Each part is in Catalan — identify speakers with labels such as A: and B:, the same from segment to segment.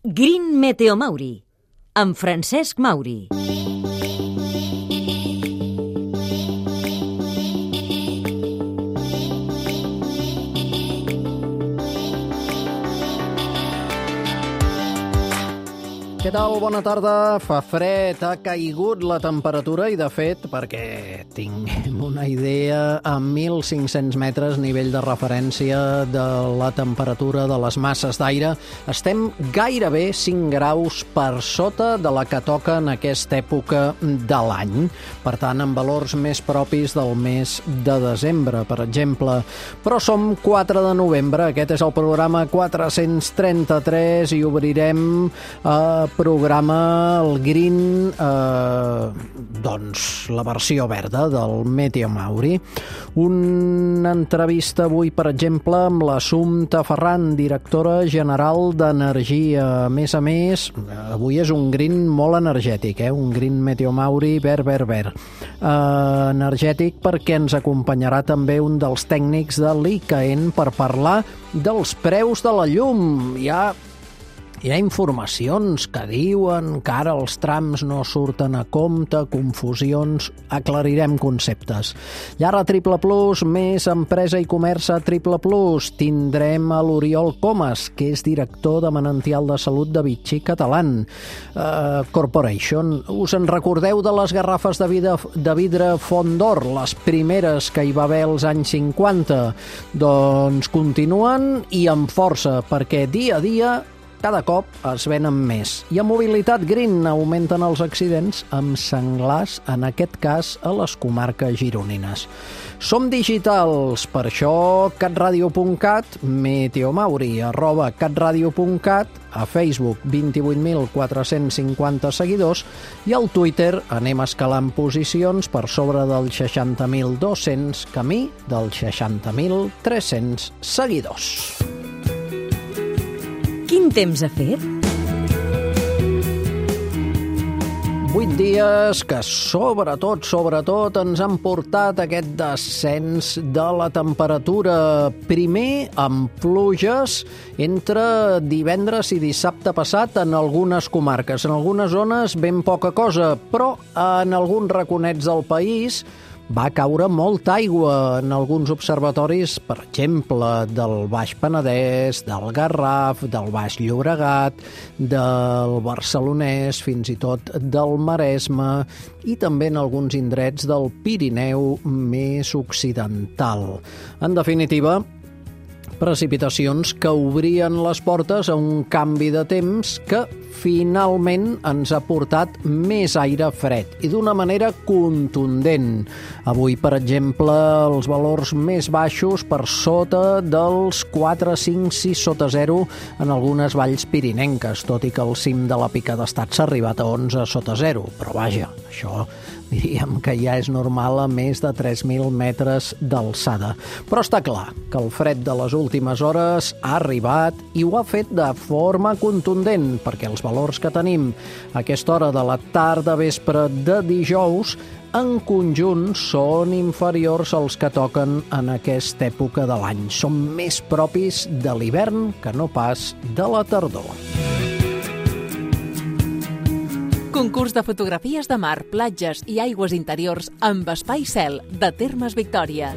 A: Green Meteo Mauri, amb Francesc Mauri.
B: Què tal? Bona tarda. Fa fred, ha caigut la temperatura i, de fet, perquè tinguem una idea, a 1.500 metres nivell de referència de la temperatura de les masses d'aire, estem gairebé 5 graus per sota de la que toca en aquesta època de l'any. Per tant, en valors més propis del mes de desembre, per exemple. Però som 4 de novembre, aquest és el programa 433 i obrirem programa el Green, doncs la versió verda del Meteo Mauri. Una entrevista avui, per exemple, amb l'Assumpta Ferran, directora general d'Energia. A més, avui és un Green molt energètic, un Green Meteo Mauri verd. Energètic perquè ens acompanyarà també un dels tècnics de l'ICAEN per parlar dels preus de la llum. Hi ha informacions que diuen que ara els trams no surten a compte, confusions, aclarirem conceptes. Llara Triple Plus, més empresa i comerç a Triple Plus. Tindrem a l'Oriol Comas, que és director de Manantial de Salut de Vichy Catalan Corporation. Us en recordeu de les garrafes de vidre Font d'Or, les primeres que hi va haver als anys 50? Doncs continuen i amb força, perquè dia a dia cada cop es venen més. I a Mobilitat Green augmenten els accidents amb senglars, en aquest cas a les comarques gironines. Som digitals, per això catradio.cat, meteomauri, @catradio.cat, a Facebook 28.450 seguidors i al Twitter anem escalant posicions per sobre dels 60.200, camí dels 60.300 seguidors.
A: Quin temps ha fet?
B: 8 dies que sobretot ens han portat aquest descens de la temperatura. Primer amb pluges entre divendres i dissabte passat en algunes comarques. En algunes zones ben poca cosa, però en alguns raconets del país va caure molta aigua en alguns observatoris, per exemple, del Baix Penedès, del Garraf, del Baix Llobregat, del Barcelonès, fins i tot del Maresme i també en alguns indrets del Pirineu més occidental. En definitiva, precipitacions que obrien les portes a un canvi de temps que finalment ens ha portat més aire fred i d'una manera contundent. Avui, per exemple, els valors més baixos per sota dels 4, 5, 6 sota 0 en algunes valls pirinenques, tot i que al cim de la Pica d'Estat s'ha arribat a 11 sota 0. Però vaja, això diríem que ja és normal a més de 3.000 metres d'alçada. Però està clar que el fred de les últimes hores ha arribat i ho ha fet de forma contundent, perquè els valors que tenim a aquesta hora de la tarda-vespre de dijous en conjunt són inferiors als que toquen en aquesta època de l'any. Són més propis de l'hivern que no pas de la tardor.
C: Concurs de fotografies de mar, platges i aigües interiors amb Espai Cel de Termes Victòria.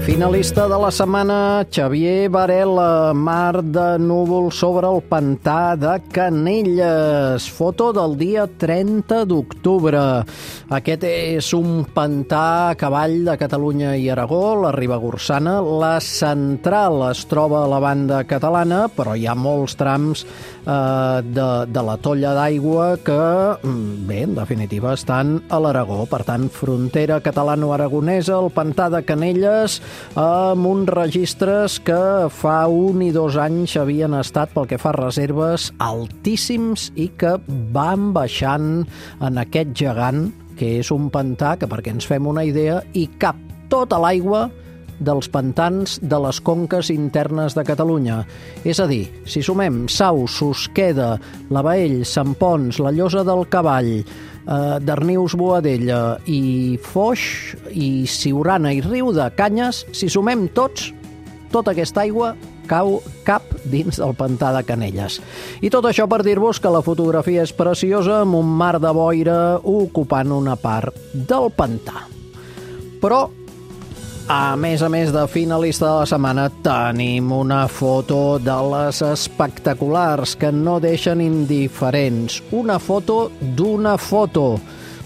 B: Finalista de la setmana, Xavier Varela, mar de núvol sobre el pantà de Canelles. Foto del dia 30 d'octubre. Aquest és un pantà a cavall de Catalunya i Aragó, la Ribagorçana. La central es troba a la banda catalana, però hi ha molts trams de la tolla d'aigua que, bé, en definitiva, estan a l'Aragó. Per tant, frontera catalano-aragonesa, el pantà de Canelles, amb uns registres que fa 1 i 2 anys havien estat, pel que fa a reserves, altíssims i que van baixant en aquest gegant, que és un pantà que, perquè ens fem una idea, hi cap tota l'aigua dels pantans de les conques internes de Catalunya. És a dir, si sumem Sau, Susqueda, la Baell, Sant Ponç, la Llosa del Cavall, Darnius, Boadella i Foix i Siurana i Riu de Canyes, si sumem tots, tota aquesta aigua cau cap dins del pantà de Canelles. I tot això per dir-vos que la fotografia és preciosa amb un mar de boira ocupant una part del pantà. Però, a més de finalista de la setmana, tenim una foto de les espectaculars que no deixen indiferents. Una foto d'una foto.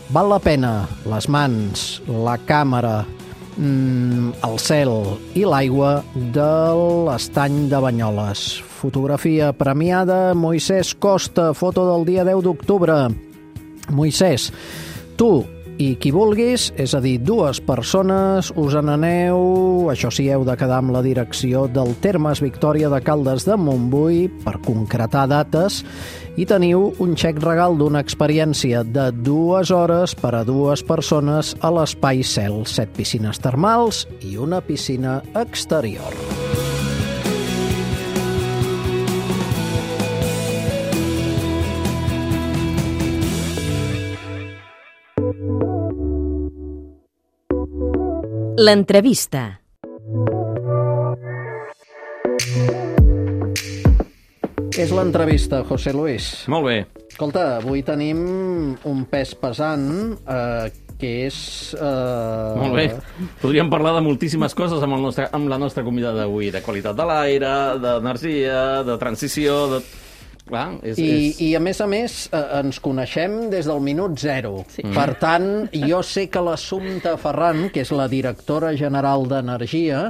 B: Val la pena les mans, la càmera, el cel i l'aigua de l'estany de Banyoles. Fotografia premiada, Moisès Costa, foto del dia 10 d'octubre. Moisès, tu i qui vulguis, és a dir, dues persones, us n'aneu, això sí, heu de quedar amb la direcció del Termes Victòria de Caldes de Montbui per concretar dates i teniu un xec regal d'una experiència de 2 hores per a 2 persones a l'Espai Cel, 7 piscines termals i una piscina exterior.
A: L'entrevista.
B: És l'entrevista, José Luis.
D: Molt bé.
B: Escolta, avui tenim un pes pesant que és...
D: Molt bé. Podríem parlar de moltíssimes coses amb la nostra convidada d'avui, de qualitat de l'aire, d'energia, de transició, de... Clar,
B: I a més, ens coneixem des del minut zero. Sí. Per tant, jo sé que l'Assumpta Ferran, que és la directora general d'Energia,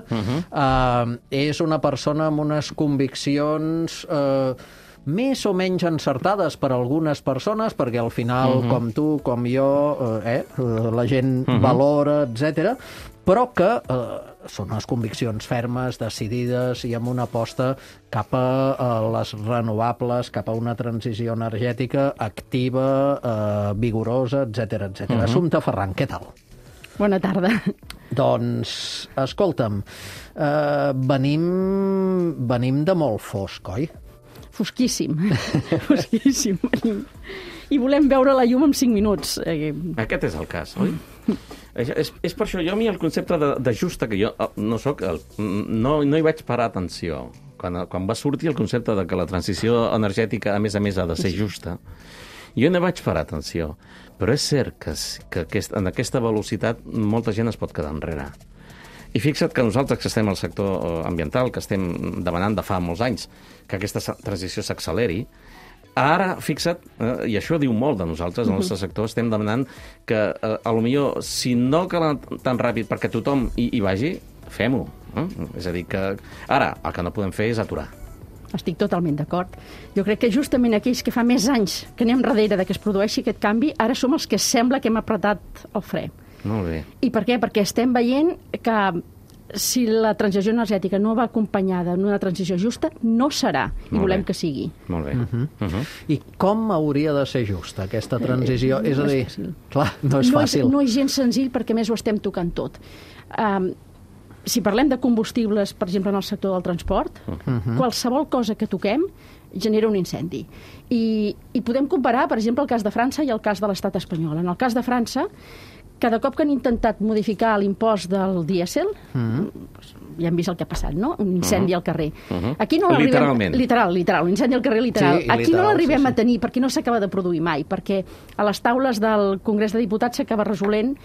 B: és una persona amb unes conviccions més o menys encertades per algunes persones, perquè al final, com tu, com jo, la gent valora, etc., però que són unes conviccions fermes, decidides i amb una aposta cap a les renovables, cap a una transició energètica activa, vigorosa, etc. Assumpta Ferran, què tal?
E: Bona tarda.
B: Doncs, escolta'm, venim de molt fosc, oi?
E: Fosquíssim. Fosquíssim. I volem veure la llum en 5 minuts.
D: Aquest és el cas, oi? És per això, jo a mi el concepte de justa, que jo no soc, no hi vaig parar atenció. Quan va sortir el concepte de que la transició energètica, a més, ha de ser justa, jo no vaig parar atenció. Però és cert que en aquesta velocitat molta gent es pot quedar enrere. I fixa't que nosaltres que estem al sector ambiental, que estem demanant de fa molts anys que aquesta transició s'acceleri, ara, fixa't, i això diu molt de nosaltres, el nostre sector, estem demanant que, potser, si no cal tan ràpid perquè tothom hi vagi, fem-ho. És a dir, que ara el que no podem fer és aturar.
E: Estic totalment d'acord. Jo crec que justament aquells que fa més anys que anem darrere de que es produeixi aquest canvi, ara som els que sembla que hem apretat el fre.
D: Molt bé.
E: I per què? Perquè estem veient que si la transició energètica no va acompanyada d'una transició justa, no serà, i volem que sigui.
D: Molt bé.
B: I com hauria de ser justa aquesta transició? És a dir, clar, no és fàcil.
E: No és gens senzill perquè, més, ho estem tocant tot. Si parlem de combustibles, per exemple, en el sector del transport, qualsevol cosa que toquem genera un incendi. I podem comparar, per exemple, el cas de França i el cas de l'estat espanyol. En el cas de França, cada cop que han intentat modificar l'impost del dièsel, ja hem vist el que ha passat, no? Un incendi al carrer. Aquí no
D: literalment.
E: Literal, un incendi al carrer literal.
B: Sí,
E: aquí no l'arribem a tenir perquè no s'acaba de produir mai, perquè a les taules del Congrés de Diputats s'acaba resolent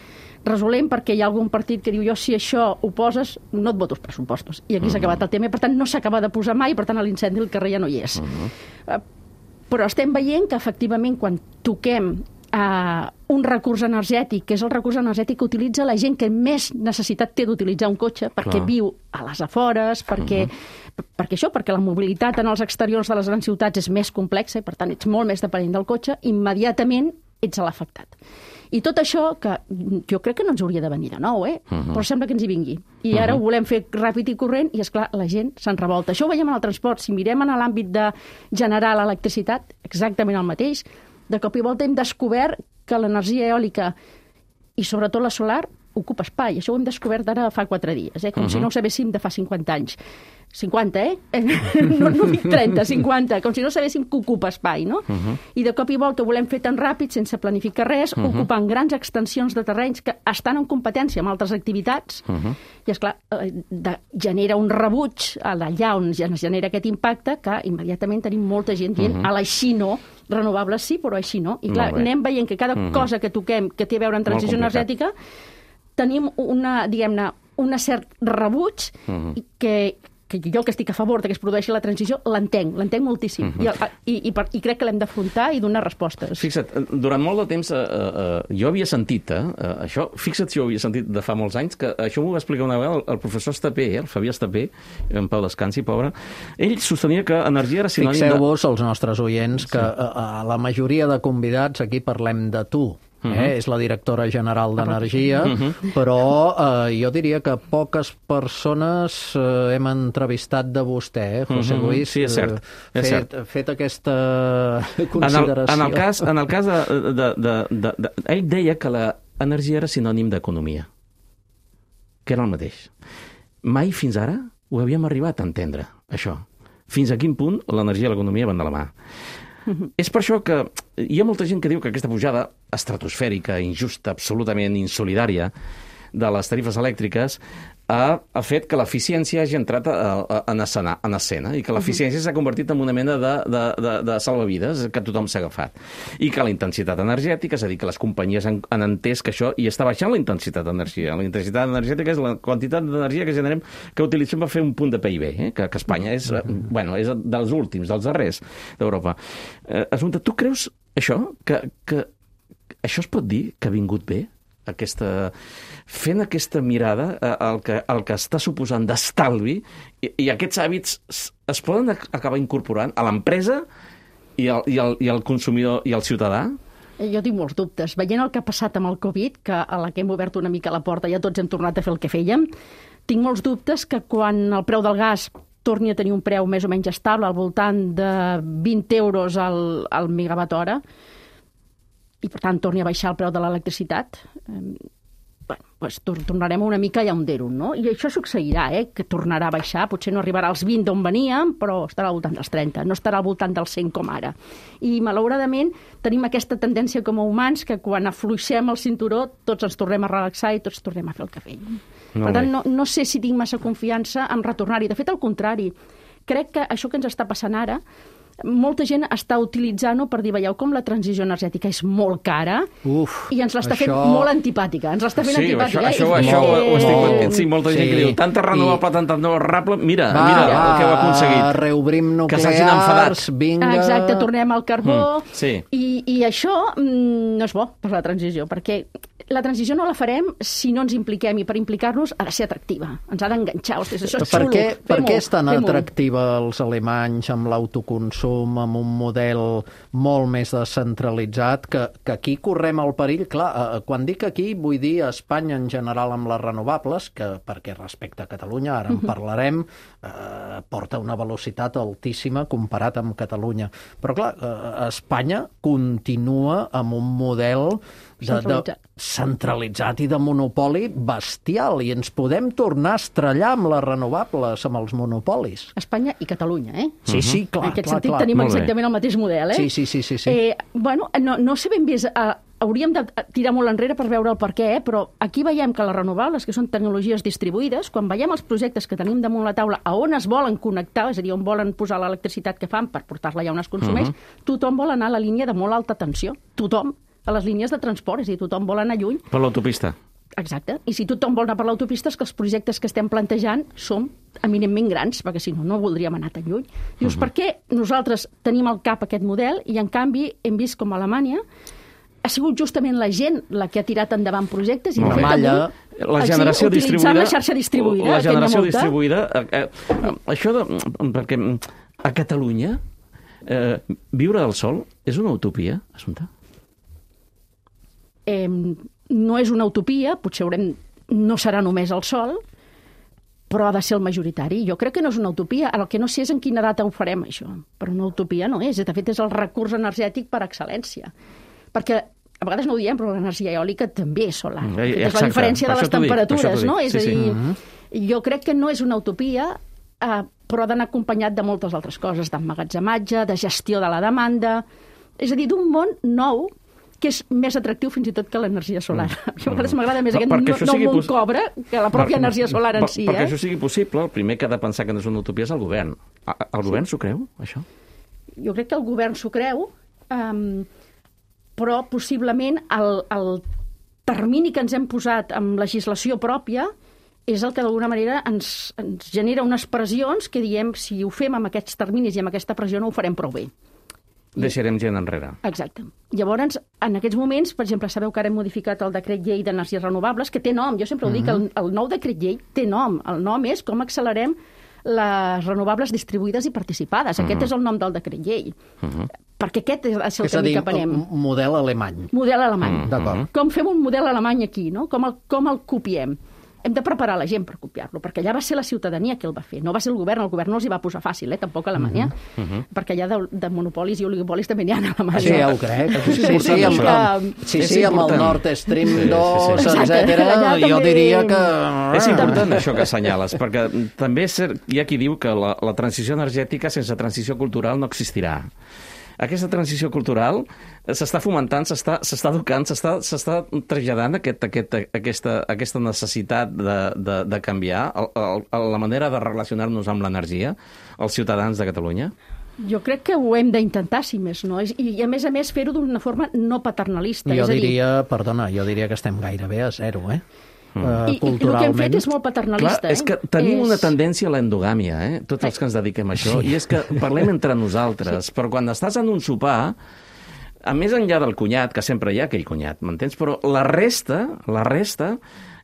E: perquè hi ha algun partit que diu jo si això ho poses, no et voto els pressupostos. I aquí s'ha acabat el tema, per tant no s'acaba de posar mai, per tant l'incendi al carrer ja no hi és. Però estem veient que efectivament quan toquem un recurs energètic, que és el recurs energètic que utilitza la gent que més necessitat té d'utilitzar un cotxe, perquè viu a les afores, perquè la mobilitat en els exteriors de les grans ciutats és més complexa i per tant ets molt més dependent del cotxe, immediatament ets l'afectat. I tot això, que jo crec que no ens hauria de venir de nou, però sembla que ens hi vingui. I ara ho volem fer ràpid i corrent i, esclar, la gent se'n revolta. Això ho veiem en el transport. Si mirem en l'àmbit de generar l'electricitat, exactament el mateix. De cop i volta hem descobert que l'energia eòlica i sobretot la solar ocupa espai. Això ho hem descobert ara fa 4 dies, com si no ho sabéssim de fa 50 anys. 50, no dic 30, 50, com si no sabéssim que ocupa espai, no? I de cop i volta ho volem fer tan ràpid, sense planificar res, ocupant grans extensions de terrenys que estan en competència amb altres activitats, i, esclar, genera un rebuig allà on es genera aquest impacte que immediatament tenim molta gent dient a l'així no, renovables sí, però així no. I clar, anem veient que cada cosa que toquem que té a veure amb transició energètica tenim un cert rebuig que jo que estic a favor que es produeixi la transició, l'entenc moltíssim. I crec que l'hem d'afrontar i donar respostes.
D: Fixa't, durant molt de temps jo havia sentit això, fixa't si ho havia sentit de fa molts anys, que això m'ho va explicar una vegada el professor Estapé, el Fabià Estapé, en pau descansi, pobre. Ell sostenia que energia era sinònim de...
B: Fixeu-vos, els nostres oients, que a la majoria de convidats aquí parlem de tu. És la directora general d'Energia, però jo diria que poques persones hem entrevistat de vostè, José Luis.
D: Sí, és cert.
B: Fet aquesta consideració.
D: En el cas ell deia que l'energia era sinònim d'economia, que era el mateix. Mai fins ara ho havíem arribat a entendre, això. Fins a quin punt l'energia i l'economia van de la mà. És per això que hi ha molta gent que diu que aquesta pujada estratosfèrica, injusta, absolutament insolidària de les tarifes elèctriques ha fet que l'eficiència hagi entrat en escena i que l'eficiència s'ha convertit en una mena de salvavides que tothom s'ha agafat. I que la intensitat energètica, és a dir, que les companyies han entès que això i està baixant la intensitat d'energia. La intensitat energètica és la quantitat d'energia que generem, que utilitzem per fer un punt de PIB, que Espanya és dels últims, dels darrers d'Europa. Assumpta, tu creus això? Que això es pot dir que ha vingut bé? Fent aquesta mirada al que està suposant d'estalvi i aquests hàbits es poden acabar incorporant a l'empresa i al consumidor i al ciutadà?
E: Jo tinc molts dubtes. Veient el que ha passat amb el Covid, que a la que hem obert una mica la porta ja tots hem tornat a fer el que fèiem, tinc molts dubtes que quan el preu del gas torni a tenir un preu més o menys estable, al voltant de 20 euros al megawatt hora, i per tant torni a baixar el preu de l'electricitat, tornarem una mica a hundir-ho, no? I això succeirà, que tornarà a baixar, potser no arribarà als 20 d'on veníem, però estarà al voltant dels 30, no estarà al voltant dels 100 com ara. I malauradament tenim aquesta tendència com a humans que quan afluixem el cinturó tots ens tornem a relaxar i tots tornem a fer el que fèiem. Per tant, no sé si tinc massa confiança en retornar-hi. De fet, al contrari, crec que això que ens està passant ara molta gent està utilitzant-ho per dir, veieu com la transició energètica és molt cara i ens l'està fent molt antipàtica. Ens l'està fent antipàtica.
D: Això ho estic veient. Sí, molta gent que diu, tanta renovable, tanta renovable, mira el que heu aconseguit.
B: Reobrim nuclears, vinga...
E: Exacte, tornem al carbó. I això no és bo per la transició, perquè la transició no la farem si no ens impliquem, i per implicar-nos ha de ser atractiva. Ens ha d'enganxar. Això és xulo.
B: Per què és tan atractiva els alemanys amb l'autoconsum, amb un model molt més descentralitzat, que aquí correm el perill? Clar, quan dic aquí vull dir a Espanya en general amb les renovables, que perquè respecte a Catalunya, ara en parlarem, porta una velocitat altíssima comparat amb Catalunya. Però clar, Espanya continua amb un model centralitzat i de monopoli bestial, i ens podem tornar a estrellar amb les renovables, amb els monopolis.
E: Espanya i Catalunya,
B: Sí, clar.
E: En aquest sentit tenim exactament el mateix model,
B: Sí.
E: No sé ben bé, hauríem de tirar molt enrere per veure el per què, però aquí veiem que les renovables, que són tecnologies distribuïdes, quan veiem els projectes que tenim damunt la taula a on es volen connectar, és a dir, on volen posar l'electricitat que fan per portar-la allà on es consumeix, tothom vol anar a la línia de molt alta tensió. Tothom. A les línies de transport, és a dir, tothom vol anar lluny.
D: Per l'autopista.
E: Exacte. I si tothom vol anar per l'autopista, és que els projectes que estem plantejant són eminentment grans, perquè si no voldríem anar tan lluny. Dius, per què nosaltres tenim al cap aquest model i, en canvi, hem vist com a Alemanya ha sigut justament la gent la que ha tirat endavant projectes i, de fet,
D: la generació distribuïda,
E: la xarxa distribuïda.
D: La generació distribuïda, això perquè a Catalunya viure del sol és una utopia, Assumpta?
E: No és una utopia, potser no serà només el sol, però ha de ser el majoritari. Jo crec que no és una utopia. El que no sé és en quina data ho farem, això. Però una utopia no és. De fet, és el recurs energètic per excel·lència. Perquè a vegades no ho diem, però l'energia eòlica també és solar. És la diferència de les temperatures, no? És a dir, jo crec que no és una utopia, però ha d'anar acompanyat de moltes altres coses, d'emmagatzematge, de gestió de la demanda, és a dir, d'un món nou que és més atractiu fins i tot que l'energia solar. A vegades m'agrada més aquest nou món cobra que la pròpia energia solar en si.
D: Perquè això sigui possible, el primer que ha de pensar que no és una utopia és el govern. El govern s'ho creu, això?
E: Jo crec que el govern s'ho creu, però possiblement el termini que ens hem posat amb legislació pròpia és el que d'alguna manera ens genera unes pressions que diem si ho fem amb aquests terminis i amb aquesta pressió no ho farem prou bé.
D: Deixarem gent enrere.
E: Exacte. Llavors, en aquests moments, per exemple, sabeu que ara hem modificat el decret llei d'energies renovables, que té nom, jo sempre ho dic, el nou decret llei té nom. El nom és com accelerem les renovables distribuïdes i participades. Aquest és el nom del decret llei. Perquè aquest és el camí que anem.
B: És a dir, model alemany.
E: Model alemany.
B: D'acord.
E: Com fem un model alemany aquí, no? Com el copiem? Hem de preparar la gent per copiar-lo, perquè allà va ser la ciutadania que el va fer, no va ser el govern no els hi va posar fàcil, tampoc a Alemanya, perquè allà de monopolis i oligopolis també n'hi ha a Alemanya.
B: Sí, ja ho crec. Sí, amb el Nord Stream 2, etcètera, jo diria que...
D: És important això que assenyales, perquè també hi ha qui diu que la transició energètica sense transició cultural no existirà. Aquesta transició cultural s'està fomentant, s'està educant, s'està traslladant aquesta necessitat de canviar la manera de relacionar-nos amb l'energia als ciutadans de Catalunya?
E: Jo crec que ho hem d'intentar, si més no. I a més fer-ho d'una forma no paternalista.
B: Jo diria que estem gairebé a zero,
E: I el que hem fet és molt paternalista.
D: Clar, és que tenim una tendència a l'endogàmia, tots els que ens dediquem a això, i és que parlem entre nosaltres, però quan estàs en un sopar, a més enllà del cunyat, que sempre hi ha aquell cunyat, m'entens? Però la resta,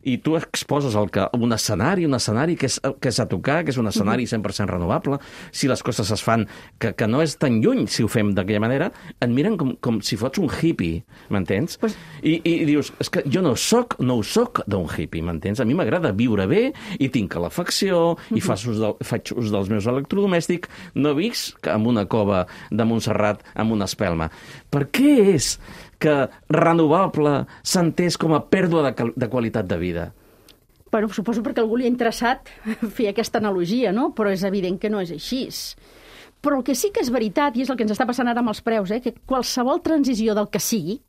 D: i tu exposes un escenari que és a tocar, que és un escenari 100% renovable, si les coses es fan, que no és tan lluny si ho fem d'aquella manera, et miren com si fots un hippie, m'entens? I dius, és que jo no ho soc d'un hippie, m'entens? A mi m'agrada viure bé i tinc calefacció i faig ús dels meus electrodomèstics, no visc en una cova de Montserrat amb una espelma. Per què és que renovable s'entès com a pèrdua de qualitat de vida?
E: Bueno, suposo perquè algú li ha interessat fer aquesta analogia, no? Però és evident que no és així. Però el que sí que és veritat, i és el que ens està passant ara amb els preus, que qualsevol transició del que sigui,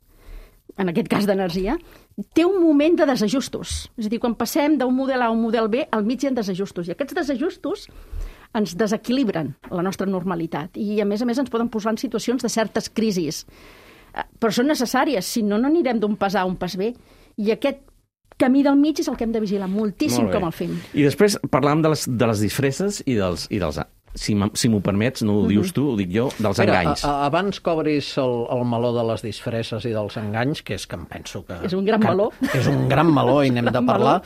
E: en aquest cas d'energia, té un moment de desajustos. És a dir, quan passem d'un model A a un model B, al mig hi ha desajustos. I aquests desajustos ens desequilibren la nostra normalitat. I, a més, ens poden posar en situacions de certes crisis. Però són necessàries, si no, no anirem d'un pas A a un pas B. I aquest camí del mig és el que hem de vigilar moltíssim com el fem.
D: I després parlàvem de les disfresses i dels si m'ho permets, no ho dius tu, ho dic jo, dels enganys.
B: Abans que obris el meló de les disfresses i dels enganys, que és que em penso que...
E: És un gran meló.
B: És un gran meló i n'hem de parlar.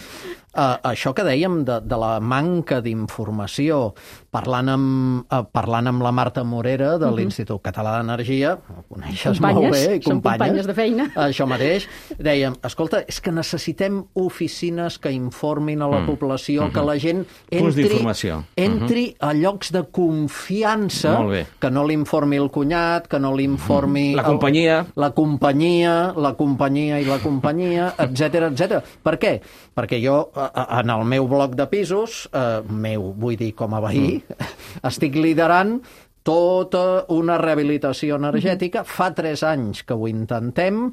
B: Això que dèiem de la manca d'informació, parlant amb la Marta Morera de l'Institut Català d'Energia, ho coneixes molt bé, i
E: companyes de feina.
B: Això mateix, dèiem, escolta, és que necessitem oficines que informin a la població, que la gent entri a llocs de confiança, que no l'informi el cunyat, que no l'informi...
D: La companyia,
B: etc. Per què? Perquè jo, en el meu bloc de pisos, vull dir com a veí, estic liderant tota una rehabilitació energètica. Fa 3 anys que ho intentem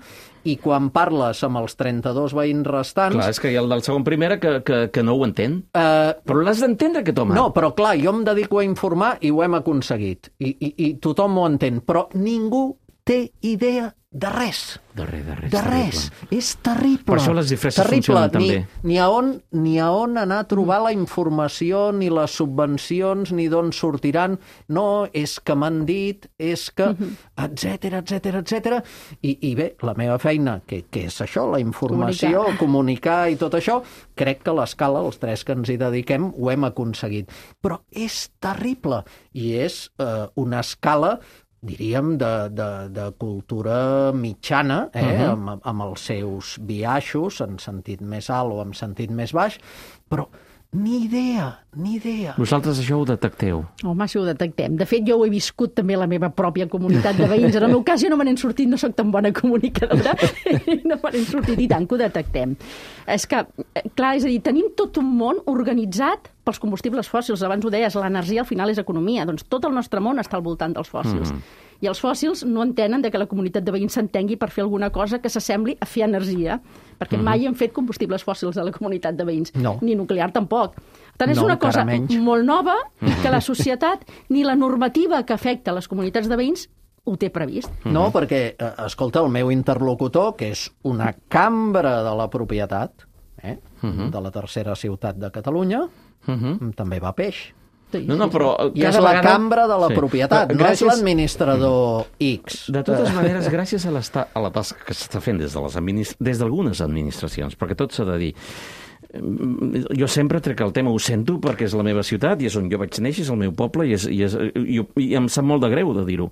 B: i quan parles amb els 32 veïns restants...
D: Clar, és que hi ha el del segon primera que no ho entén. Però l'has d'entendre, aquest home.
B: No, però clar, jo em dedico a informar i ho hem aconseguit. I tothom ho entén. Però ningú té idea de res.
D: De
B: res. És terrible.
D: Per això les disfresses funcionen també.
B: Ni a on anar a trobar la informació, ni les subvencions, ni d'on sortiran. No, és que m'han dit, és que... etcètera. I bé, la meva feina, que és això, la informació, comunicar i tot això, crec que a l'escala, els 3 que ens hi dediquem, ho hem aconseguit. Però és terrible. I és una escala, diríem, de cultura mitjana, amb els seus biaixos, en sentit més alt o en sentit més baix, però Ni idea.
D: Vosaltres això ho detecteu.
E: Home, si ho detectem. De fet, jo ho he viscut també a la meva pròpia comunitat de veïns. En el meu cas jo no me n'he sortit, no sóc tan bona comunicadora, no me n'he sortit i tant que ho detectem. És que, clar, és a dir, tenim tot un món organitzat pels combustibles fòssils. Abans ho deies, l'energia al final és economia. Doncs tot el nostre món està al voltant dels fòssils. I els fòssils no entenen que la comunitat de veïns s'entengui per fer alguna cosa que s'assembli a fer energia, perquè mai hem fet combustibles fòssils a la comunitat de veïns, ni nuclear tampoc. Tant és una cosa molt nova que la societat ni la normativa que afecta les comunitats de veïns ho té previst.
B: No, perquè, escolta, el meu interlocutor, que és una cambra de la propietat, de la tercera ciutat de Catalunya, també va a peix.
D: No, però
B: I és la cambra de la propietat, no és l'administrador X.
D: De totes maneres, gràcies a la tasca que s'està fent des d'algunes administracions, perquè tot s'ha de dir, jo sempre trec el tema, ho sento, perquè és la meva ciutat i és on jo vaig néixer, és el meu poble, i em sap molt de greu de dir-ho.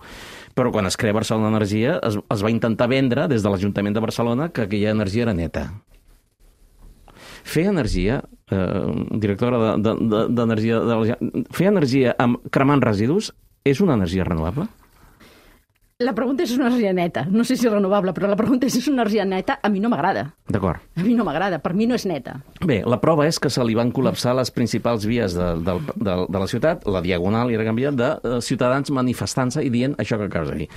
D: Però quan es crea Barcelona Energia, es va intentar vendre des de l'Ajuntament de Barcelona que aquella energia era neta. Fer energia, directora d'energia, fer energia cremant residus és una energia renovable?
E: La pregunta és una energia neta. No sé si és renovable, però la pregunta és una energia neta. A mi no m'agrada.
D: D'acord.
E: A mi no m'agrada. Per mi no és neta.
D: Bé, la prova és que se li van col·lapsar les principals vies de la ciutat, la Diagonal i Gran Via, de ciutadans manifestant-se i dient això que acabes de dir.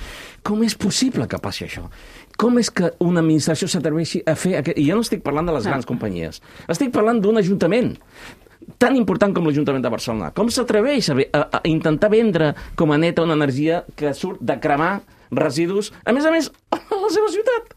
D: Com és possible que passi això? Com és que una administració s'atreveixi a fer aquest... I jo no estic parlant de les grans companyies. Estic parlant d'un ajuntament tan important com l'Ajuntament de Barcelona. Com s'atreveix a intentar vendre com a neta una energia que surt de cremar residus, a més, a la seva ciutat?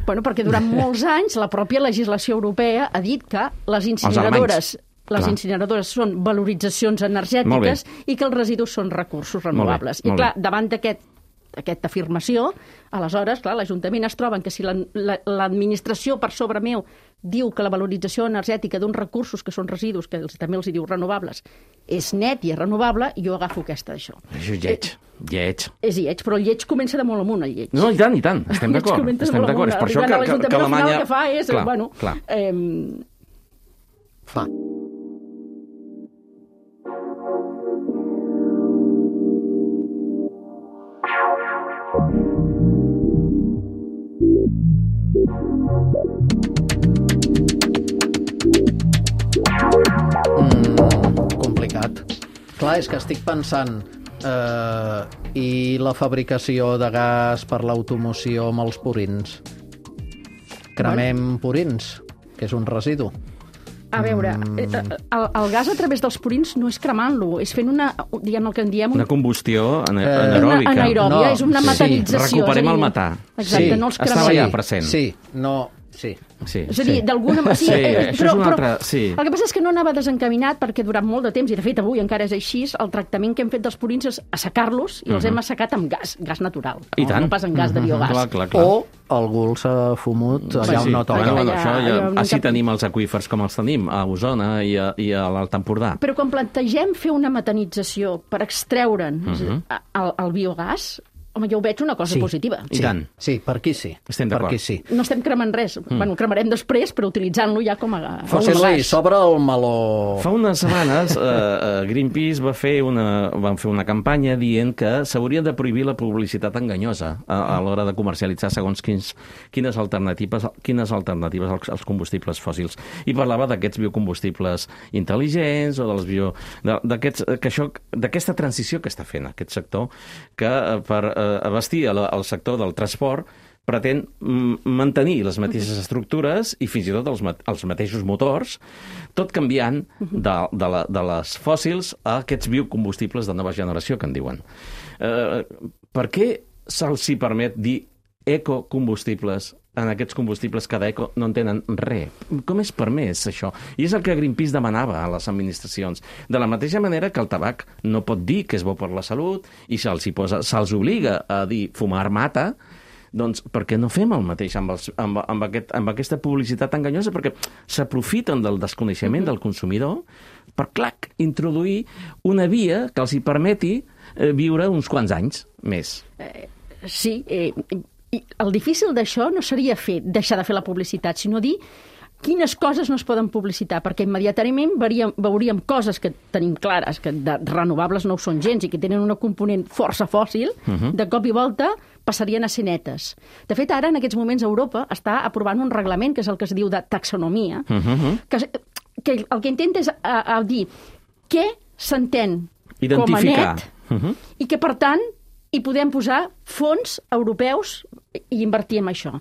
E: Bueno, perquè durant molts anys la pròpia legislació europea ha dit que les incineradores són valoritzacions energètiques i que els residus són recursos renovables. I clar, davant d'aquesta afirmació, aleshores, clar, l'Ajuntament es troba que si l'administració per sobre meu diu que la valorització energètica d'uns recursos que són residus, que també els diu renovables, és net i és renovable, jo agafo aquesta d'això.
D: Això és lleig.
E: És lleig, però el lleig comença de molt amunt, el lleig.
D: No, i tant, estem d'acord. Estem d'acord, és per això que Alemanya...
E: El que fa és,
D: clar.
B: Fa. Complicat. Clar, és que estic pensant i la fabricació de gas per l'automoció amb els purins. Cremem purins, que és un residu.
E: A veure, el gas a través dels purins no és cremant-lo, és fent una, diguem el que en diem...
D: Una combustió anaeròbica.
E: Una anaeròbia, és una metanització.
D: Recuperem el metà.
E: Exacte, no els cremem.
D: Estava allà present.
B: Sí.
E: És a dir, d'alguna manera...
D: Això és una altra...
E: El que passa és que no anava desencaminat perquè durant molt de temps, i de fet avui encara és així, el tractament que hem fet dels purins és assecar-los i els hem assecat amb gas natural.
D: I tant.
E: No pas amb gas de biogàs.
D: Clar.
B: O algú s'ha fumut allà on no toca.
D: Així tenim els aqüífers com els tenim, a Osona i a l'Alt Empordà.
E: Però quan plantegem fer una metanització per extreure'n el biogàs, home, jo ho veig una cosa positiva.
D: I tant.
B: Sí, per aquí sí.
D: Estem d'acord.
E: No estem cremant res. Bueno, cremarem després, però utilitzant-lo ja com a
B: José Luis, s'obre el meló.
D: Fa unes setmanes Greenpeace van fer una campanya dient que s'hauria de prohibir la publicitat enganyosa a l'hora de comercialitzar segons quines alternatives als combustibles fòssils. I parlava d'aquests biocombustibles intel·ligents o d'aquesta transició que està fent aquest sector, que per abastir el sector del transport pretén mantenir les mateixes estructures i fins i tot els mateixos motors, tot canviant de les fòssils a aquests biocombustibles de nova generació, que en diuen. Per què se'ls permet dir ecocombustibles en aquests combustibles que d'eco no en tenen res? Com és permès això? I és el que Greenpeace demanava a les administracions. De la mateixa manera que el tabac no pot dir que és bo per la salut i se'ls obliga a dir fumar mata, doncs per què no fem el mateix amb aquesta publicitat enganyosa? Perquè s'aprofiten del desconeixement del consumidor per, introduir una via que els hi permeti viure uns quants anys més.
E: Sí, i el difícil d'això no seria deixar de fer la publicitat, sinó dir quines coses no es poden publicitar, perquè immediatament veuríem coses que tenim clares, que de renovables no ho són gens i que tenen una component força fòssil, de cop i volta passarien a ser netes. De fet, ara, en aquests moments, Europa està aprovant un reglament, que és el que es diu de taxonomia, que el que intenta és dir què s'entén com a net i que, per tant, hi podem posar fons europeus i invertir en això.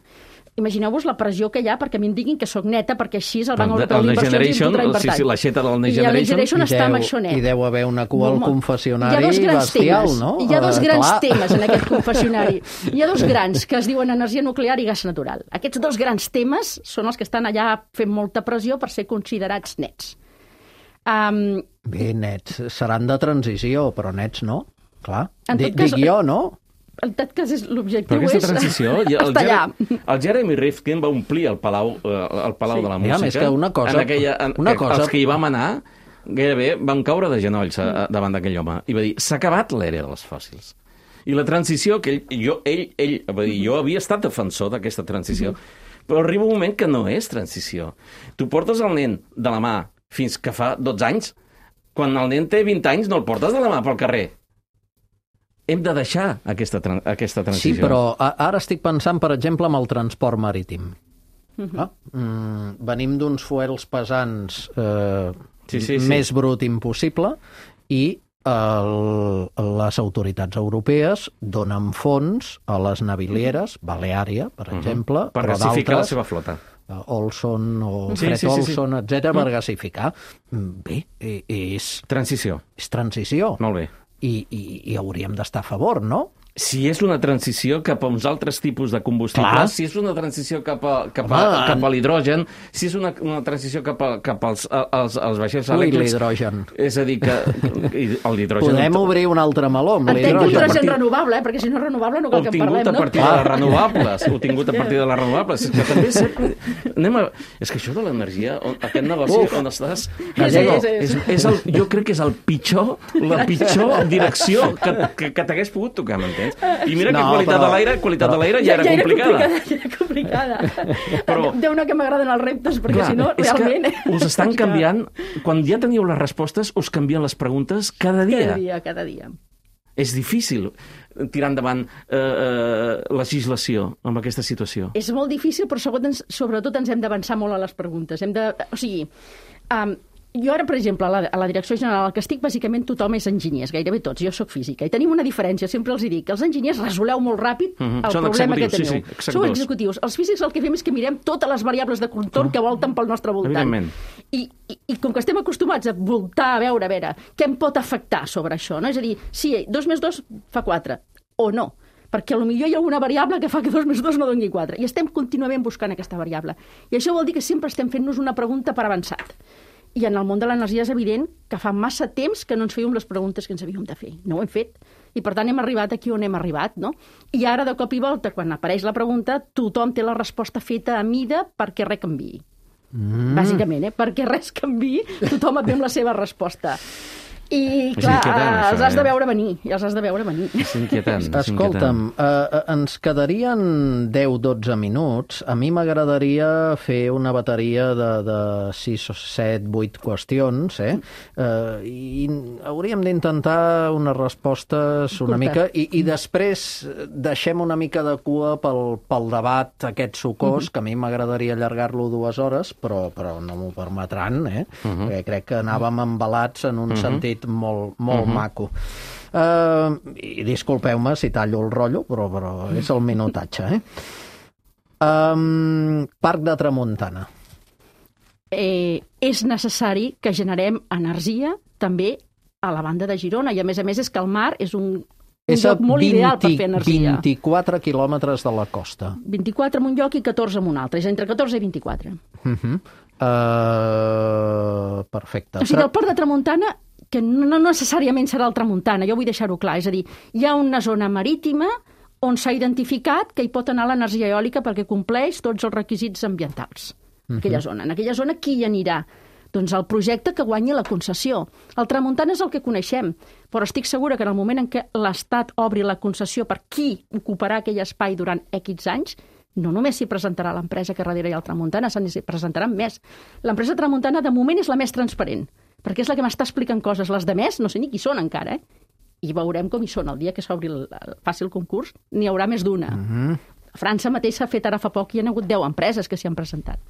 E: Imagineu-vos la pressió que hi ha perquè a mi em diguin que sóc neta, perquè així el Banc Europeu d'Inversions em podrà invertir.
D: Sí, l'aixeta del Next
E: I el Next
D: Generation
E: està amb això net.
B: I deu haver una cua al confessionari bestial, no?
E: Hi ha dos grans temes en aquest confessionari. Hi ha dos grans, que es diuen energia nuclear i gas natural. Aquests dos grans temes són els que estan allà fent molta pressió per ser considerats nets.
B: Bé, nets seran de transició, però nets no. Clar, dic jo, no?
E: En tot cas, l'objectiu és...
D: Però aquesta transició...
E: Està allà.
D: El Jeremy Rifkin va omplir el Palau de la Música.
B: Més que una cosa...
D: Els que hi vam anar, gairebé van caure de genolls davant d'aquell home. I va dir, s'ha acabat l'era dels fòssils. I la transició, que jo havia estat defensor d'aquesta transició, però arriba un moment que no és transició. Tu portes el nen de la mà fins que fa 12 anys, quan el nen té 20 anys no el portes de la mà pel carrer. Hem de deixar aquesta transició.
B: Sí, però ara estic pensant, per exemple, en el transport marítim. Venim d'uns fuels pesants més brut impossible i les autoritats europees donen fons a les navilieres, Baleària, per exemple,
D: per gasificar la seva flota.
B: Olson o Fred Olson, etc., per gasificar. Bé, és...
D: Transició.
B: És transició.
D: Molt bé.
B: I hauríem d'estar a favor, no?
D: Si és una transició cap a uns altres tipus de combustibles, si és una transició cap a l'hidrogen, si és una transició cap als vaixells elèctrics...
B: l'hidrogen.
D: És a dir, que l'hidrogen...
B: Podem obrir un altre meló amb l'hidrogen.
E: Hidrogen renovable, perquè si no és renovable no cal que en parlem, no?
D: Obtingut a partir de les renovables. Obtingut a partir de les renovables. És que també sempre... És que això de l'energia, aquest negoci on estàs... Jo crec que és la pitjor direcció que t'hagués pogut tocar, m'entens? I mira que qualitat de l'aire ja era complicada.
E: Ja era complicada. Déu-ne que m'agraden els reptes, perquè si no, realment...
D: Us estan canviant, quan ja teniu les respostes, us canvien les preguntes cada dia.
E: Cada dia.
D: És difícil tirar endavant legislació amb aquesta situació.
E: És molt difícil, però sobretot ens hem d'avançar molt a les preguntes. Jo ara, per exemple, a la direcció general al que estic, bàsicament tothom és enginyers, gairebé tots. Jo sóc física. I tenim una diferència, sempre els dic, que els enginyers resoleu molt ràpid el problema que teniu. Sou executius. Els físics el que fem és que mirem totes les variables de contorn que volten pel nostre voltant. I com que estem acostumats a voltar, a veure què em pot afectar sobre això, no? És a dir, sí, 2 més 2 fa 4, o no. Perquè potser hi ha alguna variable que fa que 2 més 2 no doni 4. I estem contínuament buscant aquesta variable. I això vol dir que sempre estem fent-nos una pregunta per avançat. I en el món de l'energia és evident que fa massa temps que no ens fèiem les preguntes que ens havíem de fer. No ho hem fet. I per tant hem arribat aquí on hem arribat, no? I ara, de cop i volta, quan apareix la pregunta, tothom té la resposta feta a mida perquè res canviï. Bàsicament, perquè res canviï, tothom et ve amb la seva resposta. I, clar, els has de veure venir.
D: És inquietant.
B: Escolta'm, ens quedarien 10-12 minuts. A mi m'agradaria fer una bateria de 6 o 7, 8 qüestions, i hauríem d'intentar unes respostes una mica, i després deixem una mica de cua pel debat aquest sucós, que a mi m'agradaria allargar-lo 2 hores, però no m'ho permetran, perquè crec que anàvem embalats en un sentit molt maco. I disculpeu-me si tallo el rotllo, però és el minutatge. Parc de Tramuntana.
E: És necessari que generem energia també a la banda de Girona, i a més és que el mar és un lloc molt ideal per fer energia.
B: 24 quilòmetres de la costa.
E: 24 en un lloc i 14 en un altre, és entre 14 i 24.
B: Perfecte.
E: O sigui, el port de Tramuntana, que no necessàriament serà el Tramuntana, jo vull deixar-ho clar, és a dir, hi ha una zona marítima on s'ha identificat que hi pot anar l'energia eòlica perquè compleix tots els requisits ambientals. Aquella zona. En aquella zona qui hi anirà? Doncs el projecte que guanyi la concessió. El Tramuntana és el que coneixem, però estic segura que en el moment en què l'Estat obri la concessió per qui ocuparà aquell espai durant X anys, No només s'hi presentarà l'empresa que darrere hi ha el Tramuntana, s'hi presentaran més. L'empresa Tramuntana, de moment, és la més transparent, perquè és la que m'està explicant coses. Les de més, no sé ni qui són encara, I veurem com hi són. El dia que s'obri faci el concurs, n'hi haurà més d'una. A França mateix s'ha fet ara fa poc i hi ha hagut 10 empreses que s'hi han presentat.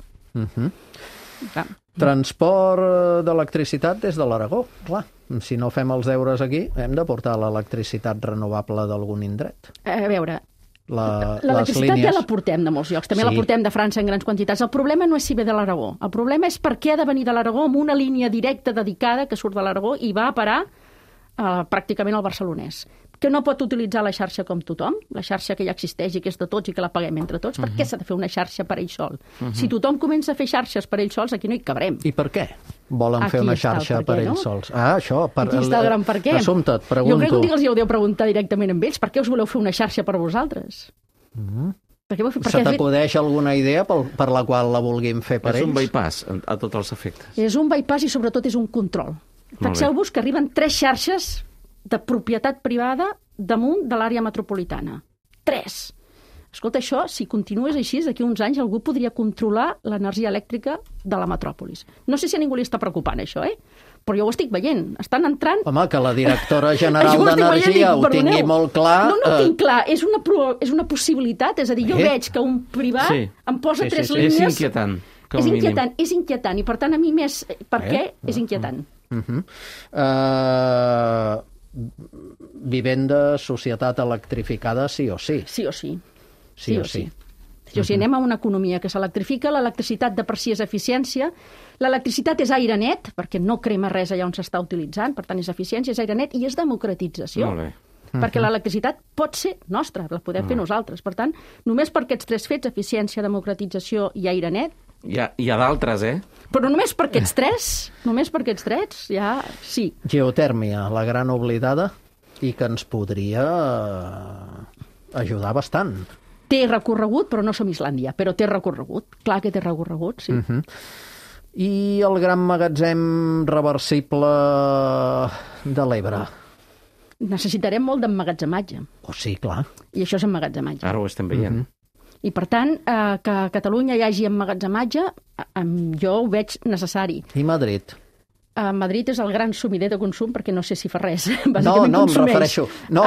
B: Transport d'electricitat des de l'Aragó, clar. Si no fem els deures aquí, hem de portar l'electricitat renovable d'algun indret.
E: A veure,
B: Les
E: l'electricitat
B: línies...
E: ja la portem de molts llocs, també la portem de França en grans quantitats. El problema no és si ve de l'Aragó, el problema és per què ha de venir de l'Aragó amb una línia directa dedicada que surt de l'Aragó i va a parar pràcticament al barcelonès, que no pot utilitzar la xarxa com tothom, la xarxa que ja existeix i que és de tots i que la paguem entre tots. Per què s'ha de fer una xarxa per ell sol? Si tothom comença a fer xarxes per ell sols, aquí no hi cabrem.
B: I per què volen fer una xarxa per ells sols? Això,
E: Aquí està el gran per què.
B: Assumpte, et pregunto.
E: Jo crec que els hi heu de preguntar directament amb ells. Per què us voleu fer una xarxa per vosaltres?
B: Se t'acudeix alguna idea per la qual la vulguin fer per ells?
D: És un bypass a tots els efectes.
E: És un bypass i sobretot és un control. Fixeu-vos que arriben 3 xarxes de propietat privada damunt de l'àrea metropolitana. 3. Escolta, això, si continués així, d'aquí uns anys algú podria controlar l'energia elèctrica de la metròpolis. No sé si a ningú li està preocupant això, però jo ho estic veient. Estan entrant...
B: Home, que la directora general d'Energia ho tingui molt clar...
E: No ho tinc clar, és una possibilitat. És a dir, jo veig que un privat em posa 3 línies...
D: És inquietant, com a mínim.
E: És inquietant, i per tant a mi més... Per què? És inquietant.
B: Vivenda, societat electrificada, sí o sí.
E: Sí o sí. Sí o sí. Si anem a una economia que s'electrifica, l'electricitat de per si és eficiència, l'electricitat és aire net, perquè no crema res allà on s'està utilitzant, per tant és eficiència, és aire net i és democratització.
D: Molt bé.
E: Perquè l'electricitat pot ser nostra, la podem fer nosaltres. Per tant, només per aquests 3 fets, eficiència, democratització i aire net...
D: Hi ha d'altres,
E: Però només per aquests 3, ja sí.
B: Geotèrmia, la gran oblidada, i que ens podria ajudar bastant.
E: Té recorregut, però no som Islàndia, però té recorregut. Clar que té recorregut, sí.
B: I el gran magatzem reversible de l'Ebre?
E: Necessitarem molt d'emmagatzematge.
B: Oh, sí, clar.
E: I això és emmagatzematge.
D: Ara ho estem veient.
E: I, per tant, que a Catalunya hi hagi emmagatzematge, jo ho veig necessari.
B: I Madrid?
E: Madrid és el gran sumider de consum perquè no sé si fa res.
B: No, em refereixo... No.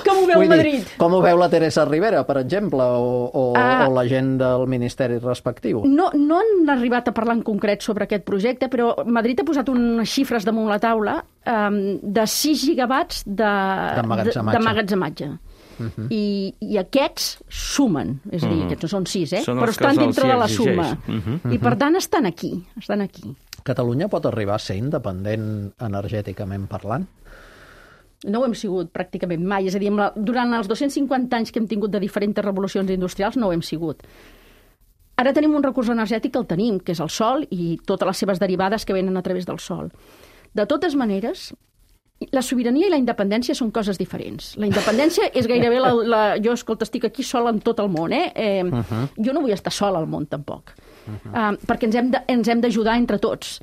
E: Com ho veu Madrid?
B: Com ho veu la Teresa Rivera, per exemple, o la gent del Ministeri respectiu?
E: No han arribat a parlar en concret sobre aquest projecte, però Madrid ha posat unes xifres damunt la taula de 6 gigawatts d'emmagatzematge. I aquests sumen, és a dir, aquests no són 6, però estan dintre de la suma. I per tant estan aquí.
B: Catalunya pot arribar a ser independent energèticament parlant?
E: No ho hem sigut pràcticament mai, és a dir, durant els 250 anys que hem tingut de diferents revolucions industrials no ho hem sigut. Ara tenim un recurs energètic que el tenim, que és el sol i totes les seves derivades que venen a través del sol. De totes maneres, la sobirania i la independència són coses diferents. La independència és gairebé jo, escolta, estic aquí sola en tot el món, Jo no vull estar sola al món, tampoc. Perquè ens hem d'ajudar entre tots.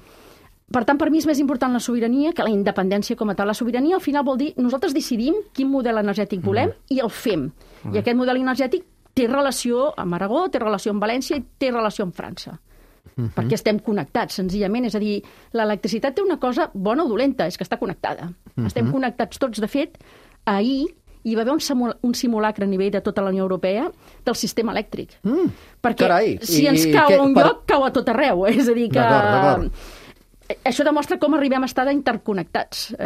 E: Per tant, per mi és més important la sobirania que la independència com a tal. La sobirania, al final, vol dir nosaltres decidim quin model energètic volem i el fem. I aquest model energètic té relació amb Aragó, té relació amb València i té relació amb França. Perquè estem connectats, senzillament. És a dir, l'electricitat té una cosa bona o dolenta, és que està connectada. Estem connectats tots. De fet, ahir hi va haver un simulacre a nivell de tota la Unió Europea del sistema elèctric. Perquè si ens cau a un lloc, cau a tot arreu. És a dir, que... Això demostra com arribem a estar interconnectats.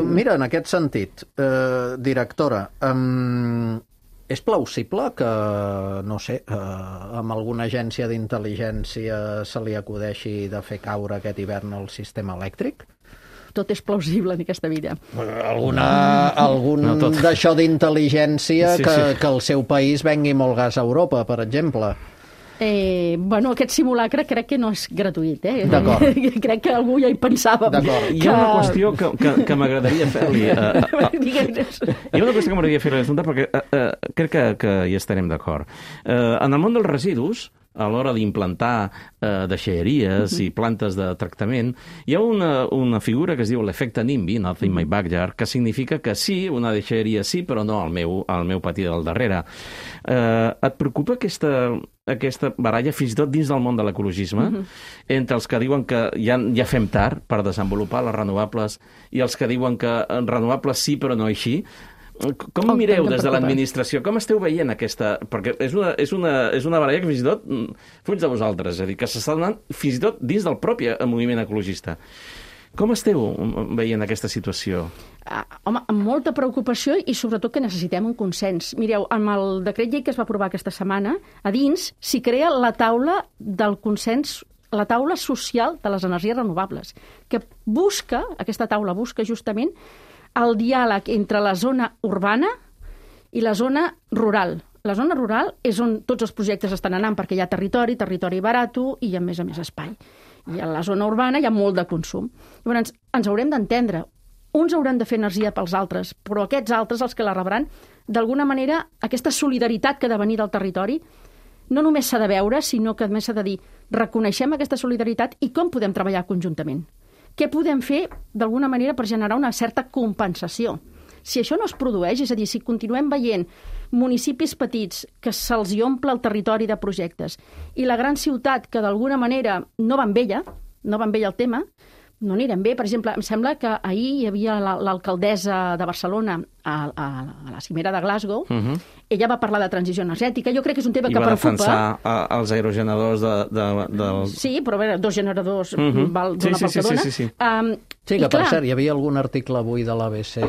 B: Mira, en aquest sentit, directora, és plausible que, no sé, amb alguna agència d'intel·ligència se li acudeixi de fer caure aquest hivern el sistema elèctric?
E: Tot és plausible en aquesta vida.
B: Algun d'això d'intel·ligència que el seu país vengui molt gas a Europa, per exemple.
E: Aquest simulacre crec que no és gratuït.
B: D'acord.
E: Crec que algú ja hi pensava.
D: Hi ha una qüestió que m'agradaria fer-li. Hi ha una qüestió que m'agradaria fer-li, perquè crec que hi estarem d'acord. En el món dels residus, a l'hora d'implantar deixalleries i plantes de tractament, hi ha una figura que es diu l'efecte NIMBY, Not in my backyard, que significa que sí, una deixalleria sí, però no al meu pati del darrere. Et preocupa aquesta baralla, fins i tot dins del món de l'ecologisme, entre els que diuen que ja fem tard per desenvolupar les renovables i els que diuen que renovables sí, però no així? Com mireu des de l'administració? Com esteu veient aquesta... Perquè és una baralla que fins i tot fuig de vosaltres, és a dir, que s'està donant fins i tot dins del propi moviment ecologista. Com esteu veient aquesta situació?
E: Home, amb molta preocupació i sobretot que necessitem un consens. Mireu, amb el decret llei que es va aprovar aquesta setmana, a dins s'hi crea la taula del consens, la taula social de les energies renovables, que aquesta taula busca justament el diàleg entre la zona urbana i la zona rural. La zona rural és on tots els projectes estan anant, perquè hi ha territori barato i a més espai. I a la zona urbana hi ha molt de consum. Llavors, ens haurem d'entendre. Uns hauran de fer energia pels altres, però aquests altres, els que la rebran, d'alguna manera, aquesta solidaritat que ha de venir del territori, no només s'ha de veure, sinó que a més s'ha de dir, reconeixem aquesta solidaritat i com podem treballar conjuntament. Què podem fer, d'alguna manera, per generar una certa compensació? Si això no es produeix, és a dir, si continuem veient municipis petits que se'ls omple el territori de projectes i la gran ciutat que d'alguna manera no va amb ella el tema, no anirem bé. Per exemple, em sembla que ahir hi havia l'alcaldessa de Barcelona a la cimera de Glasgow. Ella va parlar de transició energètica. Jo crec que és un tema que preocupa.
D: I va defensar els aerogeneradors del...
E: Sí, però a veure, 2 generadors dona pel que dona.
B: Sí, que per cert, hi havia algun article avui de l'ABC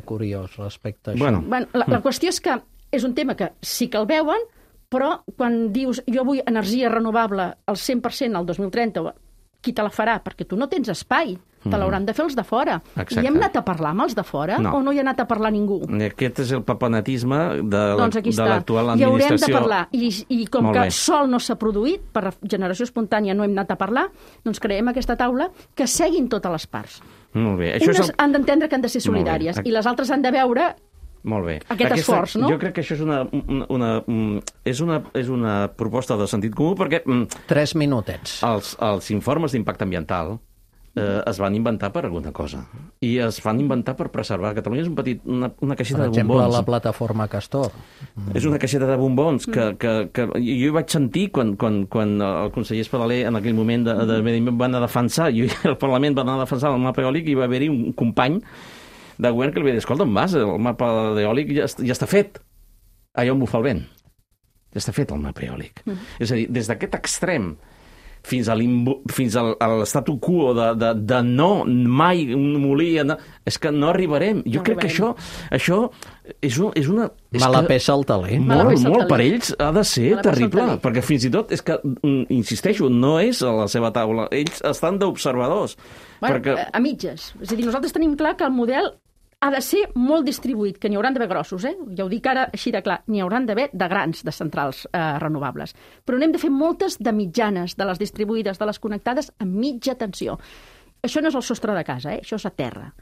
B: curiós respecte a això.
E: Bueno, la qüestió és que és un tema que sí que el veuen, però quan dius jo vull energia renovable al 100% al 2030, qui te la farà? Perquè tu no tens espai. Te l'hauran de fer els de fora.
D: Exacte.
E: I hem anat a parlar amb els de fora o no hi ha anat a parlar ningú?
D: Aquest és el papanetisme de
E: aquí
D: l'actual administració.
E: I haurem de parlar. I com que sol no s'ha produït, per generació espontània no hem anat a parlar, doncs creem aquesta taula que seguin totes les parts.
D: Molt bé.
E: Unes han d'entendre que han de ser solidàries i les altres han de veure aquest esforç, no?
D: Jo crec que això és una proposta de sentit comú perquè
B: 3 minutets.
D: Els informes d'impacte ambiental es van inventar per alguna cosa i es van inventar per preservar. Catalunya és una caixeta de bombons.
B: Per exemple, la plataforma Castor.
D: És una caixeta de bombons que jo hi vaig sentir quan el conseller Espadaler en aquell moment de Medi Ambient va anar a defensar, i el Parlament va anar a defensar el mapa eòlic, i va haver-hi un company de govern que li va dir, escolta, on vas? El mapa eòlic ja està fet. Allà on bufa el vent. Ja està fet el mapa eòlic. És a dir, des d'aquest extrem fins a l'estatu quo de no mai un molí... És que no arribarem. Jo crec que això és una...
B: Mala peça al taler.
D: Molt per ells ha de ser terrible, perquè fins i tot és que, insisteixo, no és a la seva taula. Ells estan d'observadors.
E: A mitges. És a dir, nosaltres tenim clar que el model ha de ser molt distribuït, que n'hi hauran d'haver grossos, ja ho dic ara així de clar, n'hi hauran d'haver de grans, de centrals renovables. Però n'hem de fer moltes de mitjanes, de les distribuïdes, de les connectades a mitja tensió. Això no és el sostre de casa, això és a terra.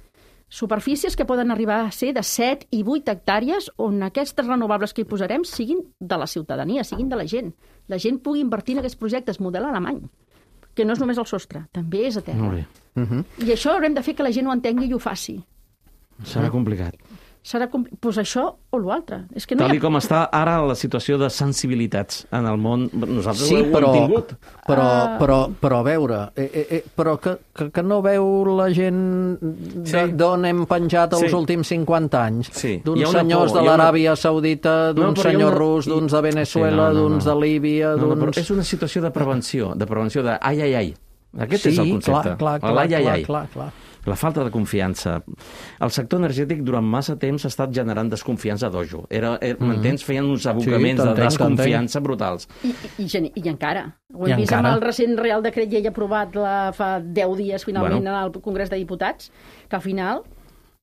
E: Superfícies que poden arribar a ser de 7 i 8 hectàrees on aquestes renovables que hi posarem siguin de la ciutadania, siguin de la gent. La gent pugui invertir en aquests projectes, model alemany, que no és només el sostre, també és a terra. I això haurem de fer que la gent ho entengui i ho faci.
D: Serà complicat.
E: Doncs això o l'altre.
D: Tal com està ara la situació de sensibilitats en el món, nosaltres ho hem tingut.
B: Però a veure, però que no veu la gent d'on hem penjat els últims 50 anys? D'uns senyors de l'Aràbia Saudita, d'uns senyors rus, d'uns de Venezuela, d'uns de Líbia...
D: És una situació de prevenció de ai, ai, ai. Aquest és el concepte.
B: Clar.
D: La falta de confiança. El sector energètic durant massa temps ha estat generant desconfiança dojo. M'entens? Feien uns abocaments de desconfiança brutals.
E: I encara. Ho hem vist amb el recent Real Decret Llei aprovat fa 10 dies, finalment, al Congrés de Diputats, que al final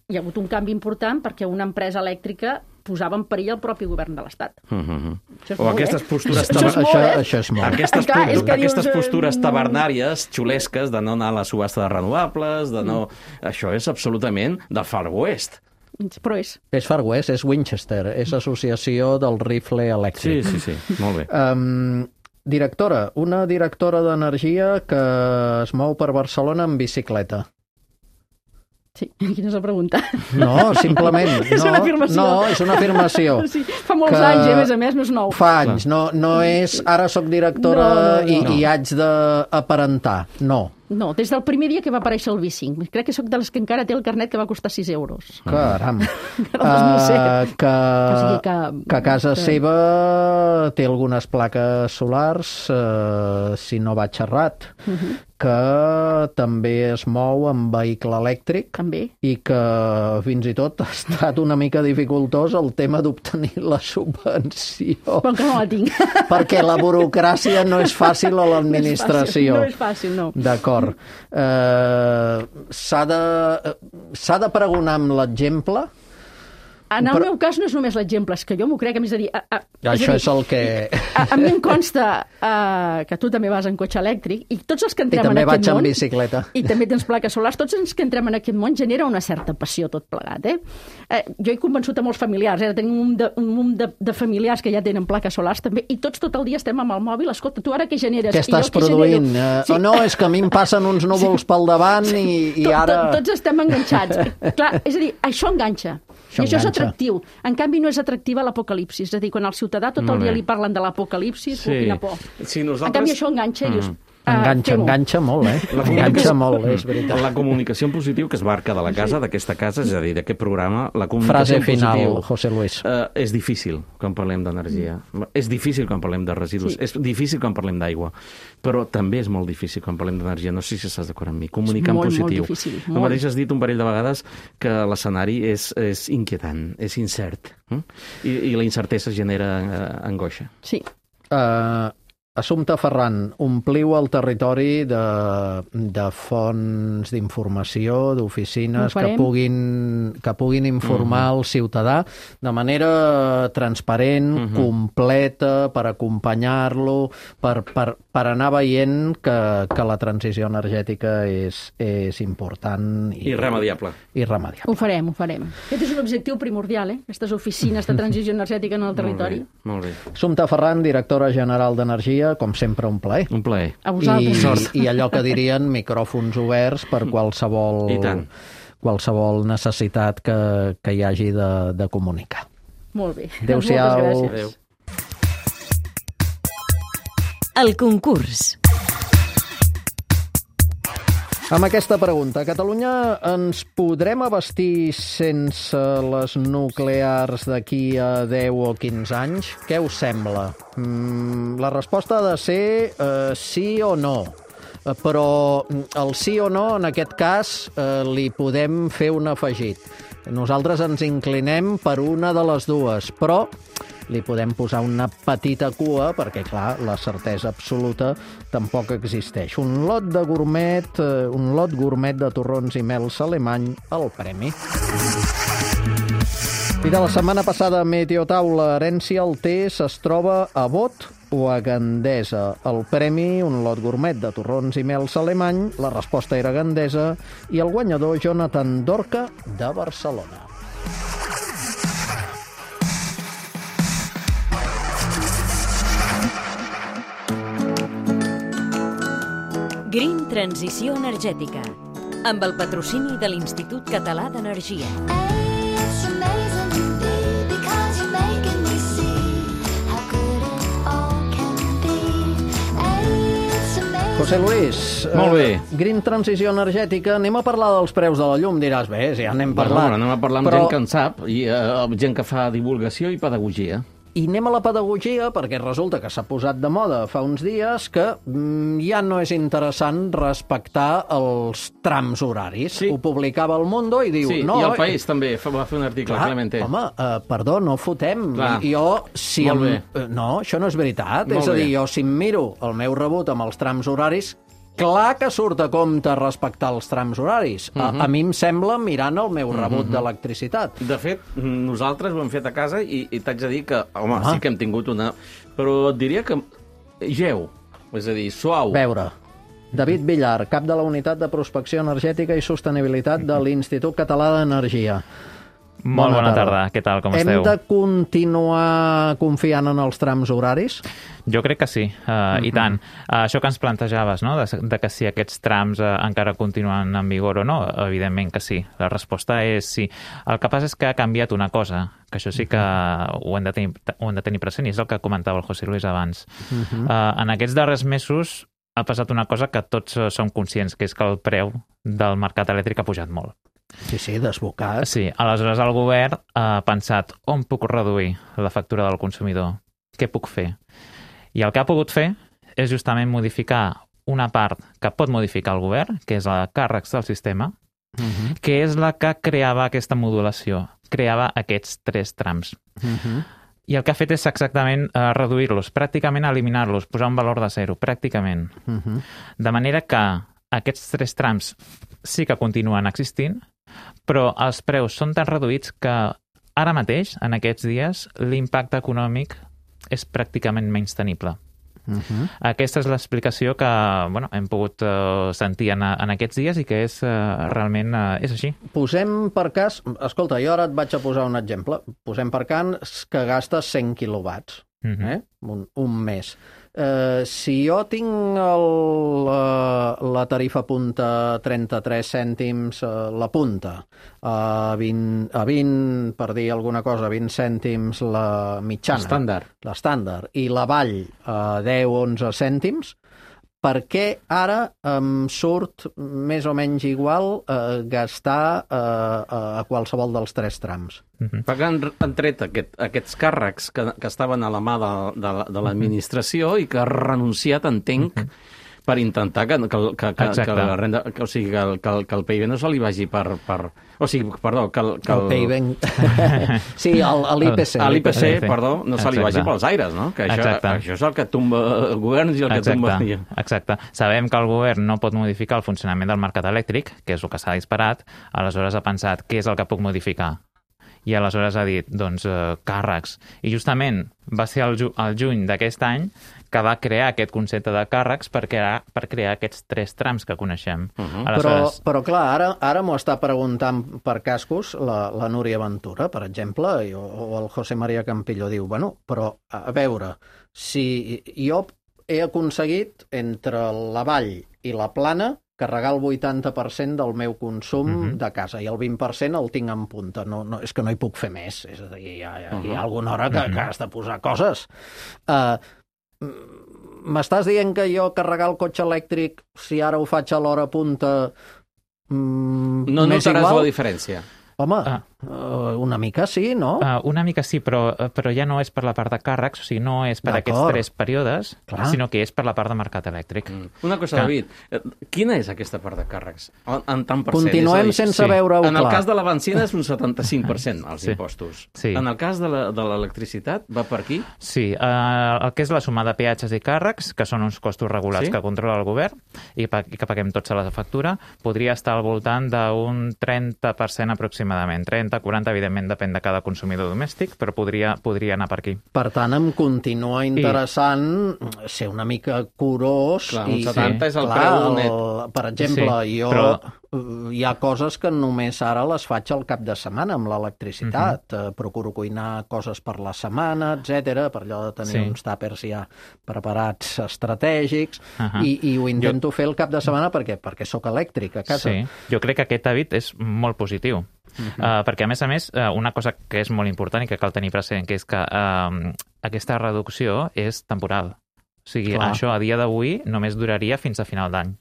E: hi ha hagut un canvi important perquè una empresa elèctrica posava en perill el propi govern de l'Estat.
D: O aquestes postures...
B: Això és molt.
D: Aquestes postures tabernàries, xulesques, de no anar a la subhasta de renovables, de no... Això és absolutament del Far West.
E: Però és.
B: És Far West, és Winchester, és associació del rifle elèctric.
D: Sí, molt bé.
B: Directora, una directora d'energia que es mou per Barcelona en bicicleta.
E: Sí, quina és la pregunta?
B: No, simplement.
E: És una afirmació.
B: No, és una afirmació.
E: Sí, fa molts anys, a més, no és nou.
B: Fa anys, no és ara sóc directora i haig d'aparentar, no.
E: No, des del primer dia que va aparèixer el V5. Crec que sóc de les que encara té el carnet que va costar 6 euros.
B: Caram.
E: El 2007.
B: Que a casa seva té algunes plaques solars, si no vaig errat, que també es mou amb vehicle elèctric
E: També.
B: i que fins i tot ha estat una mica dificultós el tema d'obtenir la subvenció.
E: Bon que no la tinc.
B: Perquè la burocràcia no és fàcil a l'administració.
E: No és fàcil, no.
B: D'acord. S'ha de pregonar amb l'exemple.
E: En el meu cas no és només l'exemple, és que jo m'ho crec, és a dir...
B: Això és el que...
E: A mi em consta que tu també vas en cotxe elèctric i tots els que entrem en aquest món...
B: I també vaig en bicicleta.
E: I també tens plaques solars. Tots els que entrem en aquest món genera una certa passió tot plegat, jo he convençut a molts familiars, tenim un munt de familiars que ja tenen plaques solars també, i tots tot el dia estem amb el mòbil. Escolta, tu ara què generes?
B: Què estàs produint? Sí. No, és que a mi em passen uns núvols pel davant i ara...
E: Tots estem enganxats. Clar, és a dir, això enganxa. I això és atractiu. En canvi, no és atractiva l'apocalipsis. És a dir, quan al ciutadà tot el dia li parlen de l'apocalipsis, quina por.
D: Sí, nosaltres...
E: En canvi, això enganxa i dius...
B: Enganxa molt, Enganxa molt, és veritat.
D: La comunicació en positiu, que es marca de la casa, d'aquesta casa, és a dir, d'aquest programa, la comunicació
B: en positiu... Frase final,
D: positiu,
B: José Luis.
D: És difícil quan parlem d'energia. És difícil quan parlem de residus. Sí. És difícil quan parlem d'aigua. Però també és molt difícil quan parlem d'energia. No sé si estàs d'acord amb mi. Comunicar en positiu.
E: Molt difícil.
D: El mateix has dit un parell de vegades que l'escenari és inquietant, és incert. I la incertesa genera angoixa.
E: Sí.
B: Assumpta Ferran, ompliu el territori de fonts d'informació, d'oficines que puguin informar el ciutadà de manera transparent, completa, per acompanyar-lo, per anar veient que la transició energètica és important.
D: Irremediable.
E: Ho farem. Aquest és un objectiu primordial, aquestes oficines de transició energètica en el territori.
D: Molt bé.
B: Assumpta Ferran, directora general d'Energia, com sempre, un plaer.
D: Un plaer.
E: A vosaltres.
B: I allò que dirien micròfons oberts per qualsevol necessitat que hi hagi de comunicar.
E: Molt bé.
B: Adéu-siau.
E: Moltes gràcies.
A: El concurs.
B: Amb aquesta pregunta, a Catalunya ens podrem abastir sense les nuclears d'aquí a 10 o 15 anys? Què us sembla? La resposta ha de ser sí o no. Però el sí o no, en aquest cas, li podem fer un afegit. Nosaltres ens inclinem per una de les dues, però li podem posar una petita cua perquè, clar, la certesa absoluta tampoc existeix. Un lot gourmet de torrons i mels alemany al premi. I de la setmana passada, Meteotaula, Herència al Tés es troba a Bot o a Gandesa. El premi, un lot gourmet de torrons i mels alemany, la resposta era Gandesa, i el guanyador, Jonathan Dorca, de Barcelona.
A: Green Transició Energètica, amb el patrocini de l'Institut Català d'Energia.
B: José Luis,
D: molt bé.
B: Green Transició Energètica, anem a parlar dels preus de la llum, diràs, bé, ja n'hem parlat.
D: Anem a parlar amb gent que en sap, i gent que fa divulgació i pedagogia.
B: I anem a la pedagogia perquè resulta que s'ha posat de moda fa uns dies que ja no és interessant respectar els trams horaris.
D: Sí.
B: Ho publicava El Mundo i diu...
D: Sí,
B: no,
D: i El País també va fer un article, Clemente.
B: Home, perdó, no fotem.
D: Clar.
B: No, això no és veritat.
D: Molt
B: és a dir,
D: bé.
B: jo si em miro el meu rebut amb els trams horaris, clar que surt a compte respectar els trams horaris. A mi em sembla mirant el meu rebut d'electricitat.
D: De fet, nosaltres ho hem fet a casa i t'haig de dir que, home, sí que hem tingut una... Però et diria que geu, és a dir, suau.
B: Veure, David Villar, cap de la Unitat de Prospecció Energètica i Sostenibilitat de l'Institut Català d'Energia.
F: Molt bona tarda. Què tal, com esteu?
B: Hem de continuar confiant en els trams horaris?
F: Jo crec que sí, i tant. Això que ens plantejaves, no?, de que si aquests trams encara continuen en vigor o no, evidentment que sí. La resposta és sí. El que passa és que ha canviat una cosa, que això sí que ho hem de tenir present, i és el que comentava el José Luis abans. En aquests darrers mesos ha passat una cosa que tots som conscients, que és que el preu del mercat elèctric ha pujat molt.
B: Sí, desbocat.
F: Sí, aleshores el govern ha pensat on puc reduir la factura del consumidor, què puc fer? I el que ha pogut fer és justament modificar una part que pot modificar el govern, que és la càrrecs del sistema, que és la que creava aquesta modulació, creava aquests 3 trams. I el que ha fet és exactament reduir-los, pràcticament eliminar-los, posar un valor de 0, pràcticament. De manera que aquests 3 trams sí que continuen existint, però els preus són tan reduïts que ara mateix, en aquests dies, l'impacte econòmic és pràcticament menys tenible. Aquesta és l'explicació que hem pogut sentir en aquests dies i que és realment és així.
B: Posem per cas... Escolta, jo ara et vaig a posar un exemple. Posem per cas que gastes 100 quilowatts un mes. Si jo tinc la tarifa punta 33 cèntims la punta, a 20, per dir alguna cosa, 20 cèntims la mitjana, l'estàndard, i la vall a 10-11 cèntims, per què ara em surt més o menys igual gastar a qualsevol dels 3 trams?
D: Perquè han tret aquests càrrecs que estaven a la mà de l'administració i que ha renunciat, entenc, per intentar que la renda, o sigui, que el PIB no se li vagi per... O sigui, perdó, que el
B: PIB... Sí, l'IPC.
D: L'IPC, perdó, no se li vagi pels aires, no? Que això és el que tomba el govern i el que tomba...
F: Exacte. Sabem que el govern no pot modificar el funcionament del mercat elèctric, que és el que s'ha disparat, aleshores ha pensat què és el que puc modificar. I aleshores ha dit, doncs, càrrecs. I justament va ser el juny d'aquest any que va crear aquest concepte de càrrecs per crear aquests 3 trams que coneixem.
B: Aleshores... Però clar, ara m'ho està preguntant per cascos la Núria Ventura, per exemple, o el José María Campillo diu, però a veure, si jo he aconseguit entre la vall i la plana carregar el 80% del meu consum de casa i el 20% el tinc en punta. No, és que no hi puc fer més. És a dir, hi ha alguna hora que has de posar coses. M'estàs dient que jo carregar el cotxe elèctric, si ara ho faig a l'hora punta,
D: no notaràs la diferència.
B: Home, una mica sí, no?
F: Una mica sí, però ja no és per la part de càrrecs, o sigui, no és per aquests 3 períodes, sinó que és per la part de mercat elèctric.
D: Una cosa, David, quina és aquesta part de càrrecs? En tant per cent?
B: Continuem sense veure-ho clar.
D: En el cas de la benzina és un 75%, els impostos. En el cas de l'electricitat, va per aquí?
F: Sí, el que és la suma de peatges i càrrecs, que són uns costos regulats que controla el govern i que paguem tots a la factura, podria estar al voltant d'un 30% aproximadament. 30, 40, evidentment depèn de cada consumidor domèstic, però podria anar per aquí.
B: Per tant, em continua interessant ser una mica curós.
D: Clar, un 70 és el preu net.
B: Per exemple, hi ha coses que només ara les faig al cap de setmana amb l'electricitat. Procuro cuinar coses per la setmana, etc, per allò de tenir uns tàpers ja preparats estratègics, i ho intento fer el cap de setmana perquè sóc elèctric a casa.
F: Sí, jo crec que aquest hàbit és molt positiu. Perquè, a més, una cosa que és molt important i que cal tenir present, que és que aquesta reducció és temporal. O sigui, això a dia d'avui només duraria fins a final d'any.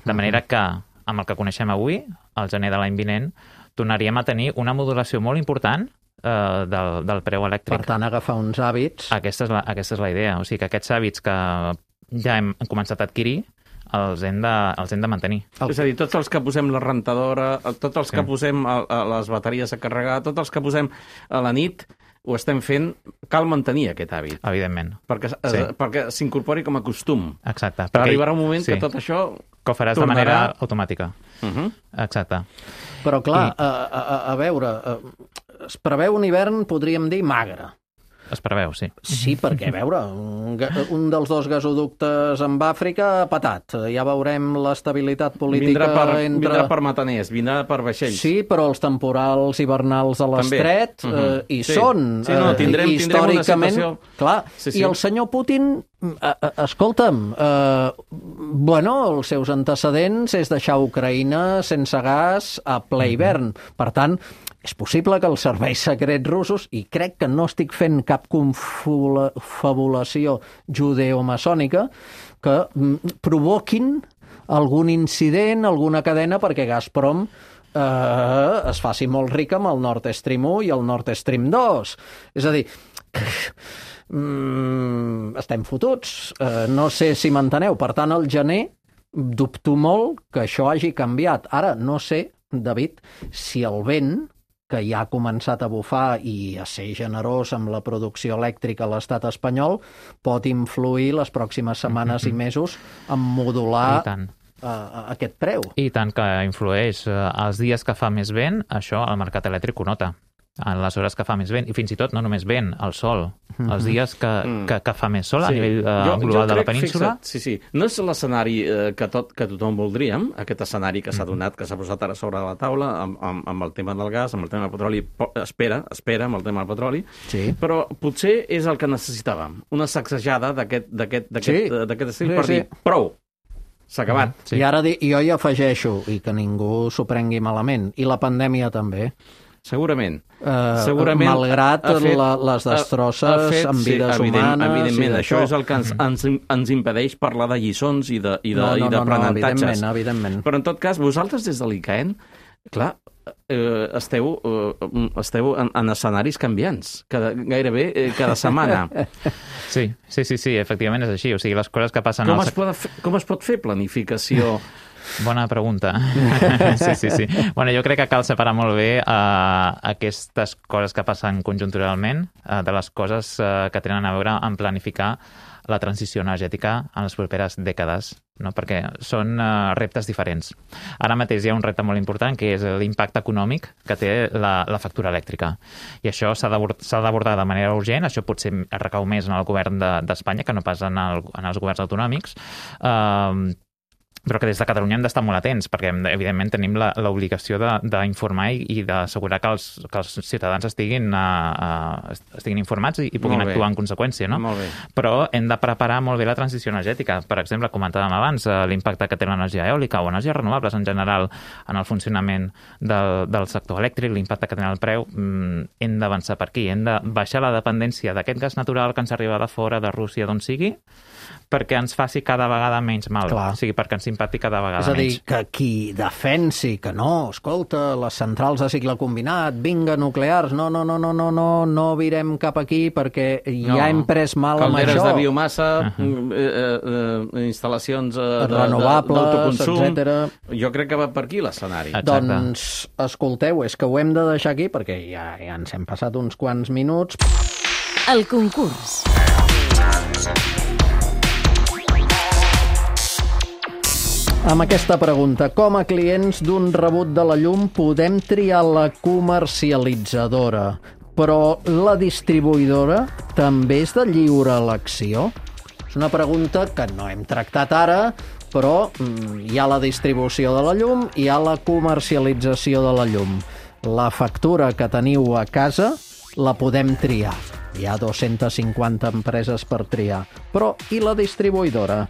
F: De manera que, amb el que coneixem avui, al gener de l'any vinent, tornaríem a tenir una modulació molt important del preu elèctric.
B: Per tant, agafar uns hàbits...
F: Aquesta és la idea. O sigui, que aquests hàbits que ja hem començat a adquirir els hem de mantenir.
D: És a dir, tots els que posem la rentadora, tots els que posem les bateries a carregar, tots els que posem a la nit, ho estem fent, cal mantenir aquest hàbit.
F: Evidentment.
D: Perquè s'incorpori com a costum.
F: Exacte.
D: Però arribarà un moment que tot això...
F: Que ho faràs de manera automàtica. Exacte.
B: Però clar, a veure, es preveu un hivern, podríem dir, magre.
F: Es preveu, sí.
B: Sí, perquè, a veure, un dels dos gasoductes amb Àfrica ha patat. Ja veurem l'estabilitat política
D: Vindrà per mataners, vindrà per vaixells.
B: Sí, però els temporals hivernals a l'estret hi són.
D: Sí, no, tindrem una situació...
B: Clar, i el senyor Putin, escolta'm, els seus antecedents és deixar Ucraïna sense gas a ple hivern. Per tant, és possible que els serveis secrets russos, i crec que no estic fent cap confabulació judeo-maçònica, que provoquin algun incident, alguna cadena, perquè Gazprom es faci molt rica amb el Nord Stream 1 i el Nord Stream 2. És a dir, estem fotuts. No sé si m'enteneu. Per tant, al gener dubto molt que això hagi canviat. Ara, no sé, David, si el vent que ja ha començat a bufar i a ser generós amb la producció elèctrica a l'estat espanyol, pot influir les pròximes setmanes i mesos en modular aquest preu.
F: I tant que influeix. Els dies que fa més vent, això el mercat elèctric ho nota. En les hores que fa més vent, i fins i tot no només vent, el sol. Els dies que fa més sol a nivell global de la península.
D: Sí. No és l'escenari que tothom voldríem, aquest escenari que s'ha donat, que s'ha posat ara sobre la taula amb el tema del gas, amb el tema del petroli. Espera amb el tema del petroli. Sí. Però potser és el que necessitàvem. Una sacsejada d'aquest estil per dir prou. S'ha acabat.
B: Sí. I ara jo hi afegeixo, i que ningú s'ho prengui malament, i la pandèmia també.
D: Segurament.
B: Malgrat les destrosses amb vides humanes...
D: Evidentment, això és el que ens impedeix parlar de lliçons i d'aprenentatges.
B: Evidentment.
D: Però en tot cas, vosaltres des de l'ICAEN, clar, esteu en escenaris canviants, gairebé cada setmana.
F: Sí, efectivament és així. O sigui, les coses que passen...
D: Com es pot fer planificació...
F: Bona pregunta. Sí. Bueno, jo crec que cal separar molt bé aquestes coses que passen conjunturalment de les coses que tenen a veure amb planificar la transició energètica en les properes dècades, no? Perquè són reptes diferents. Ara mateix hi ha un repte molt important, que és l'impacte econòmic que té la factura elèctrica. I això s'ha d'abordar de manera urgent. Això potser recau més en el govern d'Espanya que no pas en els governs autonòmics, però que des de Catalunya hem d'estar molt atents, perquè evidentment tenim l'obligació d'informar i d'assegurar que els ciutadans estiguin informats i puguin actuar en conseqüència, no?
D: Molt bé.
F: Però hem de preparar molt bé la transició energètica. Per exemple, comentàvem abans l'impacte que té l'energia eòlica o energies renovables en general en el funcionament del sector elèctric, l'impacte que té en el preu. Hem d'avançar per aquí, hem de baixar la dependència d'aquest gas natural que ens arriba de fora, de Rússia, d'on sigui, perquè ens faci cada vegada menys mal. Clar. O sigui, perquè ens impacti cada vegada menys.
B: És a dir, que qui defensi que no, escolta, les centrals de cicle combinat, vinga, nuclears, no virem cap aquí perquè ja hem pres mal amb això.
D: Calderes de biomassa, instal·lacions d'autoconsum... etc. Jo crec que va per aquí l'escenari.
B: Doncs, escolteu, és que ho hem de deixar aquí perquè ja ens hem passat uns quants minuts.
A: El concurs.
B: Amb aquesta pregunta, com a clients d'un rebut de la llum podem triar la comercialitzadora, però la distribuïdora també és de lliure elecció? És una pregunta que no hem tractat ara, però hi ha la distribució de la llum i hi ha la comercialització de la llum. La factura que teniu a casa la podem triar. Hi ha 250 empreses per triar. Però i la distribuïdora?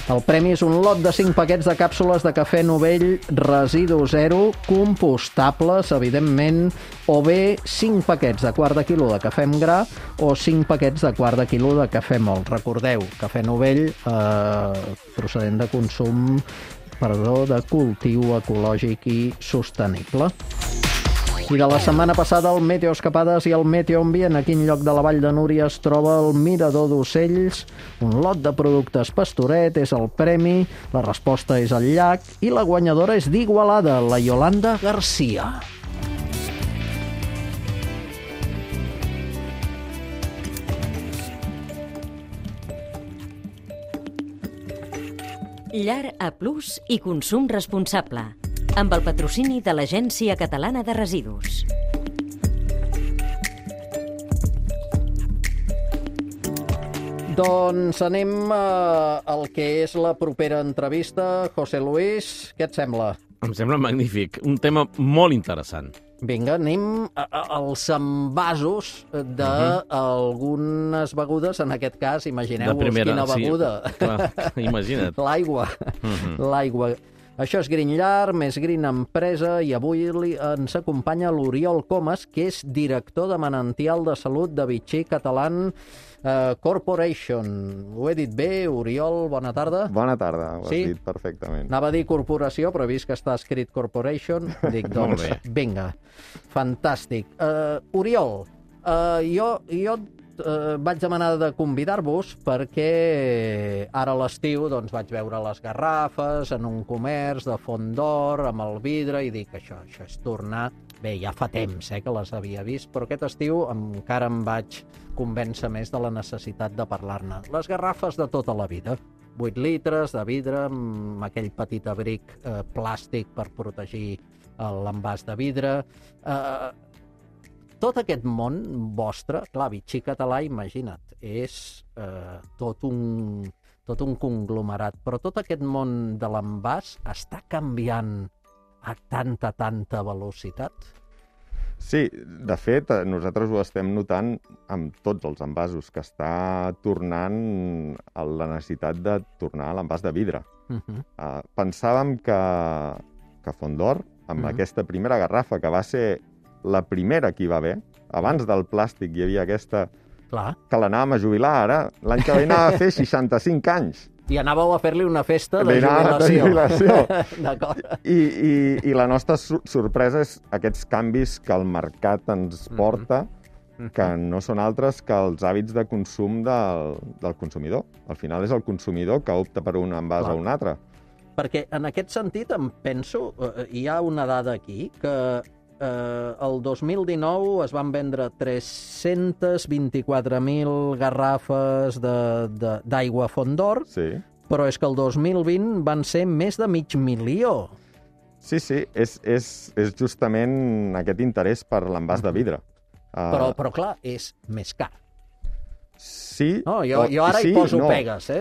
B: El premi és un lot de 5 paquets de càpsules de cafè Novell residu zero, compostables, evidentment, o bé 5 paquets de quart de quilo de cafè amb gra o 5 paquets de quart de quilo de cafè mòlt. Recordeu, cafè Novell procedent de consum, de cultiu ecològic i sostenible. I de la setmana passada, el Meteo Escapades i el Meteo Ambient. A quin lloc de la Vall de Núria es troba el mirador d'ocells? Un lot de productes Pastoret és el premi, la resposta és el llac i la guanyadora és d'Igualada, la Yolanda Garcia.
A: Llar A+ i consum responsable, amb el patrocini de l'Agència Catalana de Residus.
B: Doncs anem al que és la propera entrevista. José Luis, què et sembla?
D: Em sembla magnífic. Un tema molt interessant.
B: Vinga, anem als envasos d'algunes begudes. En aquest cas, imagineu-vos quina beguda.
D: Sí, clar, imagina't.
B: L'aigua. L'aigua. Això és Green Llar, més Green Empresa, i avui ens acompanya l'Oriol Comas, que és director de Manantial de Salut de Vichy Catalan Corporation. Ho he dit bé, Oriol? Bona tarda.
G: Bona tarda, ho has dit perfectament.
B: Anava a dir corporació, però he vist que està escrit Corporation. Dic, doncs, vinga, fantàstic. Oriol, jo vaig demanar de convidar-vos perquè ara a l'estiu doncs, vaig veure les garrafes en un comerç de Font d'Or amb el vidre i dic, això és tornar... Bé, ja fa temps que les havia vist, però aquest estiu encara em vaig convèncer més de la necessitat de parlar-ne. Les garrafes de tota la vida, 8 litres de vidre amb aquell petit abric plàstic per protegir l'envàs de vidre... Tot aquest món vostre, clar, Vichy Català, imagina't, és tot un conglomerat, però tot aquest món de l'envàs està canviant a tanta velocitat?
G: Sí, de fet, nosaltres ho estem notant amb tots els envasos, que està tornant la necessitat de tornar a l'envàs de vidre. Pensàvem que Font d'Or, amb aquesta primera garrafa, que va ser la primera que hi va haver, abans del plàstic hi havia aquesta...
B: Clar.
G: Que l'anàvem a jubilar ara. L'any que ve anava a fer 65 anys.
B: I anàveu a fer-li una festa de jubilació.
G: D'acord. I la nostra sorpresa és aquests canvis que el mercat ens porta, que no són altres que els hàbits de consum del consumidor. Al final és el consumidor que opta per un envàs o un altre.
B: Perquè en aquest sentit em penso, hi ha una dada aquí, que el 2019 es van vendre 324.000 garrafes d'aigua Font d'Or, però és que el 2020 van ser més de 500.000.
G: Sí, és justament aquest interès per l'envàs de vidre.
B: Però clar, és més car.
G: Sí.
B: No, jo ara hi poso pegues,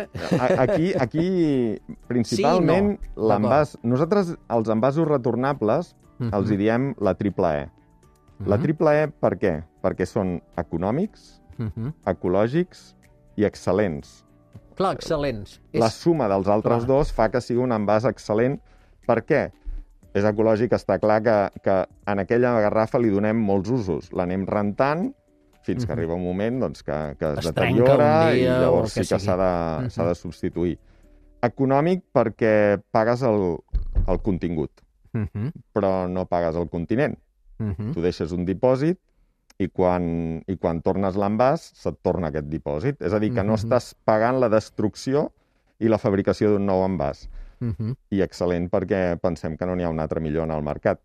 G: Aquí principalment, l'envàs... Nosaltres, els envasos retornables, els hi diem la triple E. La triple E per què? Perquè són econòmics, ecològics i excel·lents.
B: Clar, excel·lents.
G: La suma dels altres dos fa que sigui un envàs excel·lent. Per què? És ecològic, està clar que en aquella garrafa li donem molts usos. L'anem rentant fins que arriba un moment doncs, que es deteriora i llavors sí que s'ha de substituir. Econòmic perquè pagues el contingut, però no pagues el continent. Tu deixes un dipòsit i quan tornes l'envàs se't torna aquest dipòsit. És a dir, que no estàs pagant la destrucció i la fabricació d'un nou envàs. I excel·lent perquè pensem que no n'hi ha un altre millor en el mercat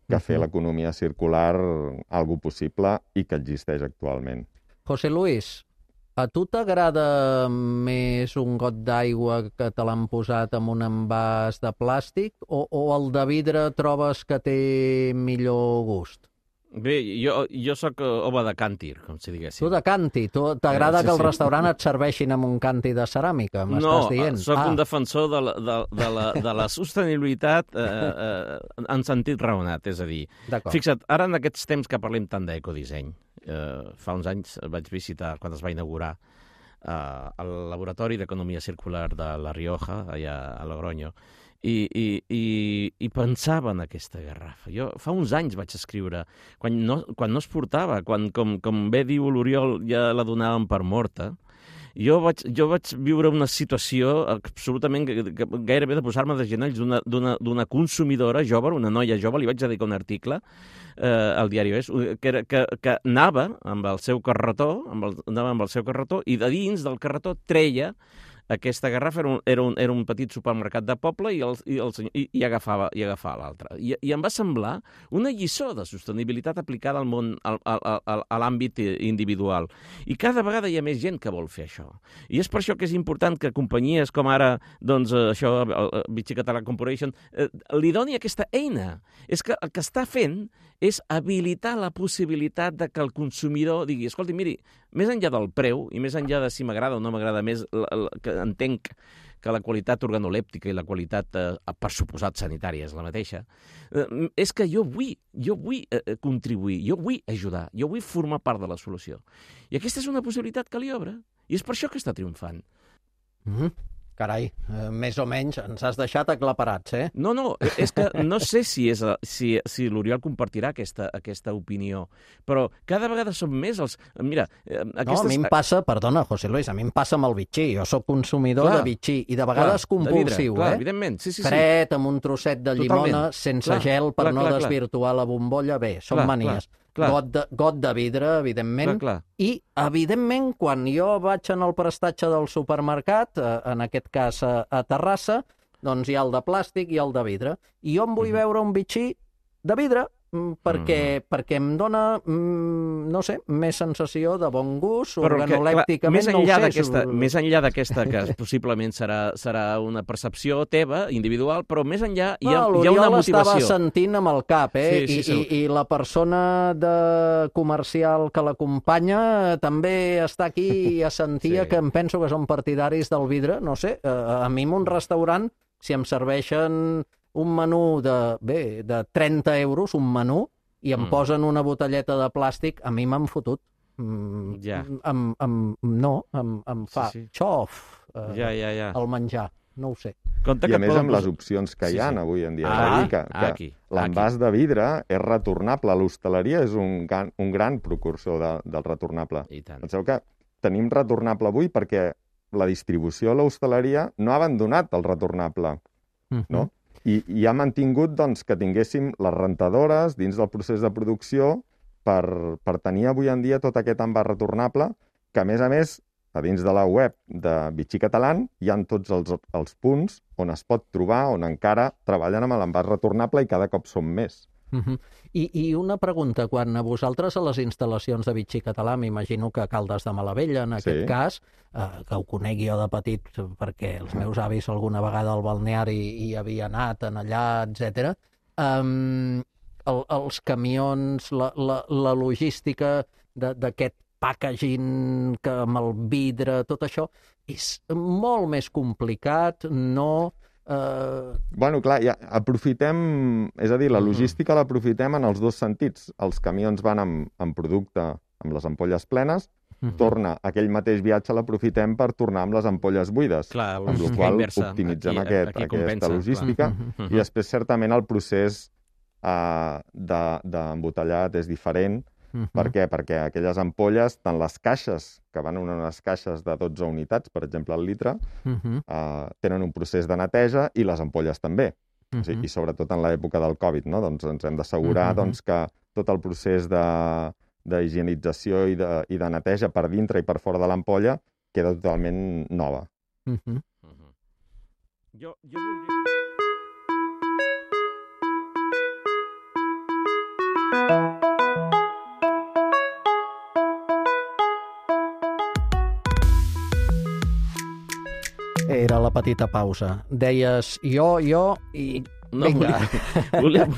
G: que fer l'economia circular algo possible i que existeix actualment.
B: José Luis, a tu t'agrada més un got d'aigua que te l'han posat en un envàs de plàstic o el de vidre trobes que té millor gust?
D: Bé, jo sóc home de càntir, com si diguéssim.
B: Tu de canti? T'agrada que al restaurant et serveixin amb un canti de ceràmica, m'estàs dient?
D: No, sóc un defensor de la sostenibilitat en sentit raonat, és a dir, fixa't, ara en aquests temps que parlem tant d'ecodisseny, fa uns anys vaig visitar, quan es va inaugurar, el Laboratori d'Economia Circular de La Rioja, allà a Logroño, i pensava en aquesta garrafa. Jo fa uns anys vaig escriure, quan no es portava, com bé diu l'Oriol, ja la donàvem per morta, jo vaig viure una situació absolutament gairebé de posar-me de genolls d'una consumidora jove, una noia jove, li vaig dedicar un article al diari És, que anava amb el seu carretó, i de dins del carretó treia aquesta garrafa, era un petit supermercat de poble i agafava l'altra. I em va semblar una lliçó de sostenibilitat aplicada al món, a l'àmbit individual. I cada vegada hi ha més gent que vol fer això. I és per això que és important que companyies com ara, doncs, Vichy Catalan Corporation, li doni aquesta eina. És que el que està fent és habilitar la possibilitat de que el consumidor digui, escolti, miri, més enllà del preu i més enllà de si m'agrada o no m'agrada més, que entenc que la qualitat organolèptica i la qualitat, per suposat, sanitària és la mateixa, és que jo vull contribuir, jo vull ajudar, jo vull formar part de la solució. I aquesta és una possibilitat que li obre, i és per això que està triomfant.
B: Carai, més o menys ens has deixat aclaparats, eh?
D: No, és que no sé si l'Oriol compartirà aquesta opinió, però cada vegada són més els... Mira,
B: No, a mi em passa, perdona, José Luis, a mi em passa amb el bitxí. Jo sóc consumidor de bitxí i de vegades compulsiu,
D: clar, evidentment, sí.
B: Fred, amb un trosset de llimona, sense gel per no desvirtuar la bombolla. Bé, són manies. Got de vidre, evidentment. I, evidentment, quan jo vaig en el prestatge del supermercat, en aquest cas a Terrassa, doncs hi ha el de plàstic i el de vidre. I jo em vull veure un bitxí de vidre perquè em dona, no sé, més sensació de bon gust, organolèpticament, no ho sé.
D: Més enllà d'aquesta, que possiblement serà una percepció teva, individual, però més enllà hi ha una motivació.
B: L'Oriol estava sentint amb el cap, i la persona comercial que l'acompanya també està aquí i assentia que em penso que són partidaris del vidre. No sé, a mi en un restaurant, si em serveixen un menú de 30 euros, un menú, i em posen una botelleta de plàstic, a mi m'han fotut. Em fa xof el menjar. No ho sé.
G: I a més amb les opcions que hi ha avui en dia. Que l'envàs de vidre és retornable. L'hostaleria és un gran precursor del retornable. Penseu que tenim retornable avui perquè la distribució a l'hostaleria no ha abandonat el retornable, no? I ha mantingut que tinguéssim les rentadores dins del procés de producció per tenir avui en dia tot aquest envàs retornable, que a més, a dins de la web de Vichy Catalán hi ha tots els punts on es pot trobar, on encara treballen amb l'envàs retornable i cada cop són més.
B: I una pregunta, quan a vosaltres a les instal·lacions de Vichy Català, m'imagino que a Caldes de Malavella, en aquest cas, que ho conec jo de petit perquè els meus avis alguna vegada al balneari hi havia anat, en allà, etc. Els camions, la logística d'aquest packaging amb el vidre, tot això, és molt més complicat, no...
G: Bueno, clar, aprofitem... És a dir, la logística l'aprofitem en els dos sentits. Els camions van amb producte, amb les ampolles plenes, torna aquell mateix viatge, l'aprofitem per tornar amb les ampolles buides. Amb la qual cosa optimitzem aquesta logística. I després, certament, el procés d'embotellat és diferent. Per què? Perquè aquelles ampolles, tant les caixes, que van en unes caixes de 12 unitats, per exemple, al litre, tenen un procés de neteja i les ampolles també. I sobretot en l'època del Covid, no? Doncs ens hem d'assegurar que tot el procés d'higienització i de neteja per dintre i per fora de l'ampolla queda totalment nova.
D: Jo
B: Era la petita pausa. Deies jo i... Vinga.
D: Volia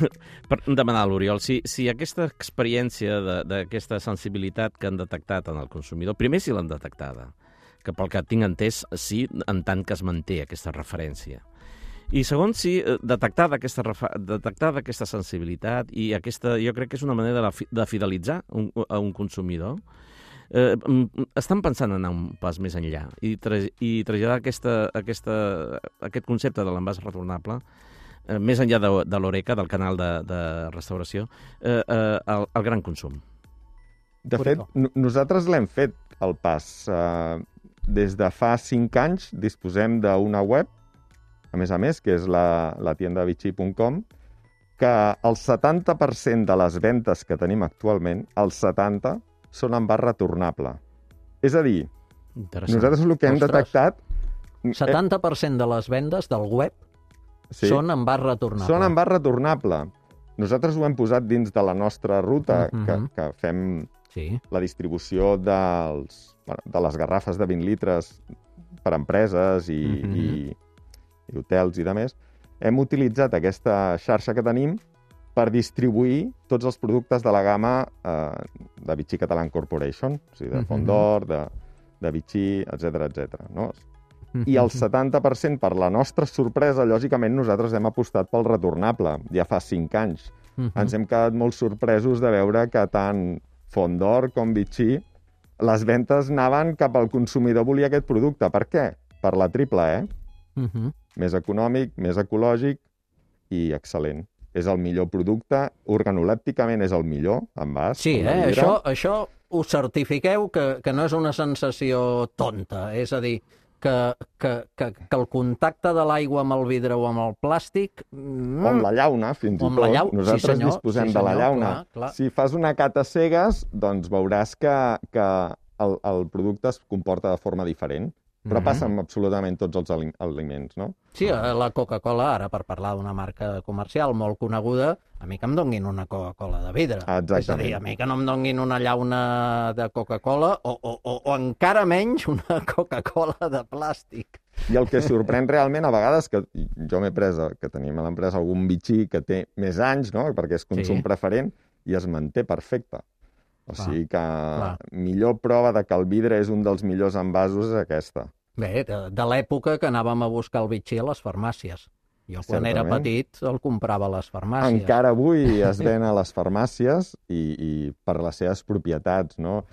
D: demanar a l'Oriol si aquesta experiència d'aquesta sensibilitat que han detectat en el consumidor, primer si l'han detectada, que pel que tinc entès, sí, en tant que es manté aquesta referència. I segon, sí, detectada aquesta sensibilitat i jo crec que és una manera de fidelitzar a un consumidor. Estan pensant en anar un pas més enllà i traslladar aquest concepte de l'envàs retornable més enllà de l'Oreca, del canal de restauració, al gran consum.
G: De fet, nosaltres l'hem fet, el pas. Des de fa 5 anys disposem d'una web, a més, que és la tiendavichy.com, que el 70% de les ventes que tenim actualment, el 70%, són envàs retornable. És a dir, nosaltres el que hem detectat...
B: 70% de les vendes del web són envàs retornable.
G: Són envàs retornable. Nosaltres ho hem posat dins de la nostra ruta, que fem la distribució de les garrafes de 20 litres per empreses i hotels i demés. Hem utilitzat aquesta xarxa que tenim per distribuir tots els productes de la gamma de Vichy Catalan Corporation, o sigui, de Fondor, de Vichy, etc. No? I el 70%, per la nostra sorpresa, lògicament, nosaltres hem apostat pel retornable, ja fa 5 anys. Ens hem quedat molt sorpresos de veure que tant Fondor com Vichy, les ventes anaven cap al consumidor volia aquest producte. Per què? Per la triple E. Més econòmic, més ecològic i excel·lent. És el millor producte, organolèpticament és el millor, envàs.
B: Sí, això ho certifiqueu que no és una sensació tonta, és a dir, que el contacte de l'aigua amb el vidre o amb el plàstic...
G: O amb la llauna, fins i tot. Nosaltres disposem de la llauna.
B: Clar.
G: Si fas una cata cegues, doncs veuràs que el producte es comporta de forma diferent. Però passa amb absolutament tots els aliments, no?
B: Sí, la Coca-Cola, ara per parlar d'una marca comercial molt coneguda, a mi que em donguin una Coca-Cola de vidre.
G: Exactament.
B: És a dir, a mi que no em donguin una llauna de Coca-Cola o encara menys una Coca-Cola de plàstic.
G: I el que sorprèn realment a vegades, que jo m'he pres, que tenim a l'empresa algun Vichy que té més anys, no?, perquè és consum preferent, i es manté perfecte. O sigui que millor prova de que el vidre és un dels millors envasos és aquesta.
B: Bé, de l'època que anàvem a buscar el Vichy a les farmàcies. Jo quan era petit el comprava a les farmàcies.
G: Encara avui es ven a les farmàcies i per les seves propietats, no?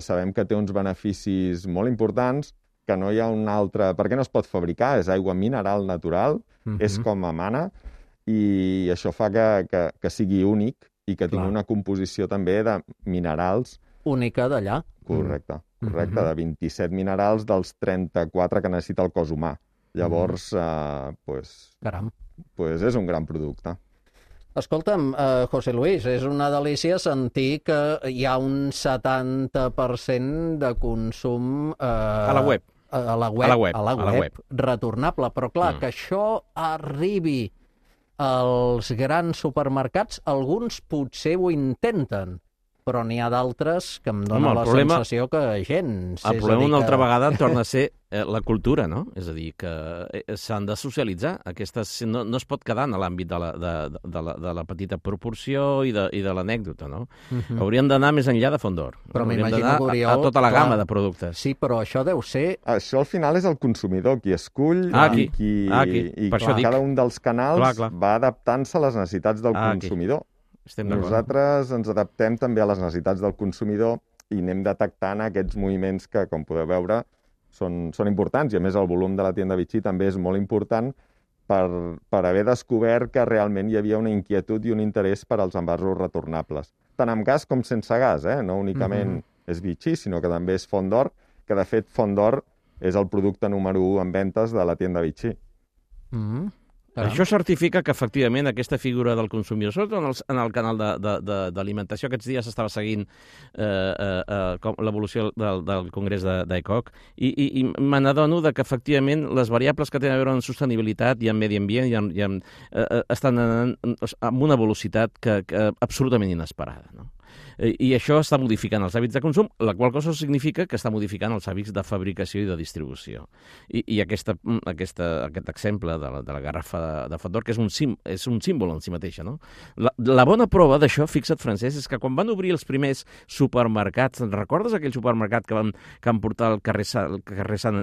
G: Sabem que té uns beneficis molt importants, que no hi ha un altre... Per què no es pot fabricar? És aigua mineral natural, és com emana, i això fa que sigui únic i que tingui una composició també de minerals.
B: Única d'allà.
G: Correcte, de 27 minerals dels 34 que necessita el cos humà. Llavors,
B: Caram.
G: És un gran producte.
B: Escolta'm, José Luis, és una delícia sentir que hi ha un 70% de consum...
D: a la web.
B: A la web. Retornable. Però clar, que això arribi als grans supermercats, alguns potser ho intenten, però n'hi ha d'altres que em donen la sensació que gens.
D: El problema una altra vegada torna a ser la cultura, no? És a dir, que s'han de socialitzar. No es pot quedar en l'àmbit de la petita proporció i de l'anècdota, no? Hauríem d'anar més enllà de Fondor.
B: Però m'imagino que
D: a tota la gamma de productes.
B: Sí, però això deu ser...
G: Això al final és el consumidor qui escull i cada un dels canals va adaptant-se a les necessitats del consumidor. Nosaltres ens adaptem també a les necessitats del consumidor i anem detectant aquests moviments que, com podeu veure, són importants. I, a més, el volum de la tienda Vichy també és molt important per haver descobert que realment hi havia una inquietud i un interès per als envasos retornables. Tant amb gas com sense gas, no únicament és Vichy, sinó que també és Fondor, que, de fet, Fondor és el producte número 1 en ventes de la tienda Vichy.
D: Això certifica que, efectivament, aquesta figura del consumidor, sobretot en el canal d'alimentació, aquests dies s'estava seguint l'evolució del Congrés d'ECOC, i me n'adono que, efectivament, les variables que tenen a veure amb sostenibilitat i amb medi ambient estan amb una velocitat que absolutament inesperada, no? I això està modificant els hàbits de consum, la qual cosa significa que està modificant els hàbits de fabricació i de distribució. I aquest exemple de la garrafa de Fondor, que és un símbol en si mateixa, no? La bona prova d'això, fixa't, Francesc, és que quan van obrir els primers supermercats, recordes aquell supermercat que van portar al carrer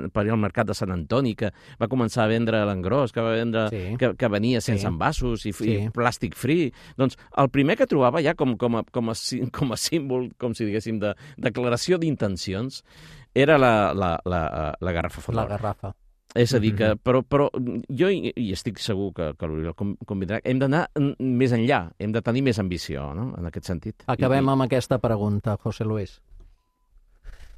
D: per al mercat de Sant Antoni, que va començar a vendre a l'engròs, que va vendre que venia sense envasos i plàstic free? Doncs el primer que trobava ja com a símbol, com si diguéssim, de declaració d'intencions, era la garrafa Fondor.
B: La garrafa.
D: És a dir, que, però jo hi estic segur que l'Oriol convindrà, hem d'anar més enllà, hem de tenir més ambició, no?, en aquest sentit.
B: Acabem amb aquesta pregunta, José Luis.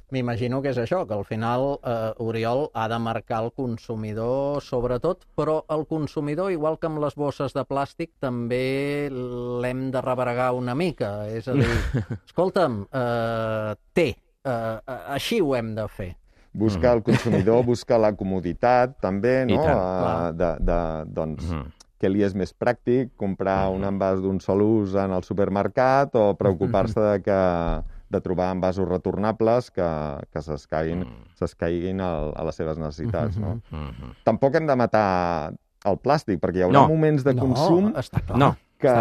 B: M'imagino que és això, que al final Oriol ha de marcar el consumidor sobretot, però el consumidor, igual que amb les bosses de plàstic, també l'hem de rebregar una mica. És a dir, escolta'm, així ho hem de fer.
G: Buscar el consumidor, buscar la comoditat, també, no? Doncs, què li és més pràctic, comprar un envàs d'un sol ús en el supermercat o preocupar-se de trobar envasos retornables que s'escaiguin a les seves necessitats, no? Tampoc hem de matar el plàstic, perquè hi haurà moments de consum que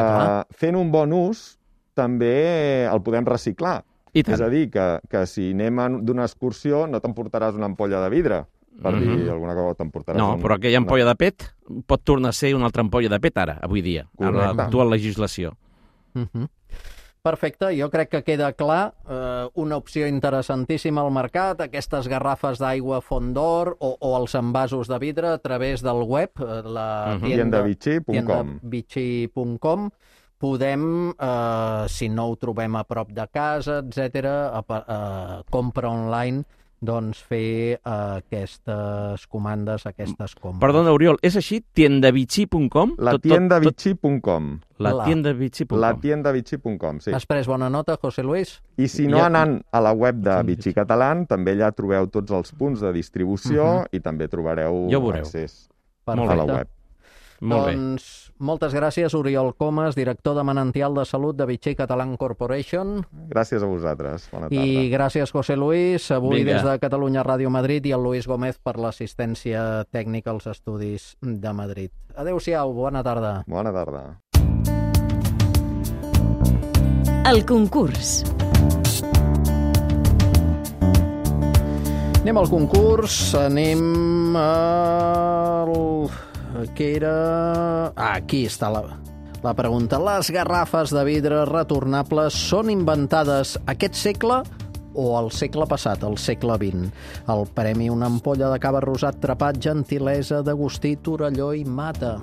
G: fent un bon ús també el podem reciclar.
D: I tant.
G: És a dir, que si anem d'una excursió no t'emportaràs una ampolla de vidre, per dir alguna cosa, t'emportaràs...
D: No, però aquella ampolla de PET pot tornar a ser una altra ampolla de PET ara, avui dia, amb l'actual legislació.
B: Perfecte, jo crec que queda clar, una opció interessantíssima al mercat, aquestes garrafes d'aigua Fondor o els envasos de vidre a través del web, la tiendavichy.com. Podem, si no ho trobem a prop de casa, etc., compra online, doncs fer aquestes comandes, aquestes compres.
D: Perdona, Oriol, és així? Tiendavichy.com?
G: La tiendavichy.com.
D: La tiendavichy.com.
G: La tiendavichy.com, sí.
B: Has pres bona nota, José Luis?
G: I si no, anant a la web de Vichy Catalán, també allà trobeu tots els punts de distribució i també trobareu accés a la web.
B: Doncs moltes gràcies, Oriol Comas, director de Manantial de Salut de Vichy Catalán Corporation.
G: Gràcies a vosaltres. Bona tarda.
B: I gràcies, José Luis, avui des de Catalunya Ràdio Madrid, i el Luis Gómez per l'assistència tècnica als estudis de Madrid. Adéu-siau, bona tarda.
G: Bona tarda.
A: El concurs.
B: Anem al concurs, anem al... que era... aquí està la pregunta. Les garrafes de vidre retornables són inventades aquest segle o al segle passat, al segle XX? El premi: una ampolla de cava rosat trapat, gentilesa d'Agustí Torelló i Mata.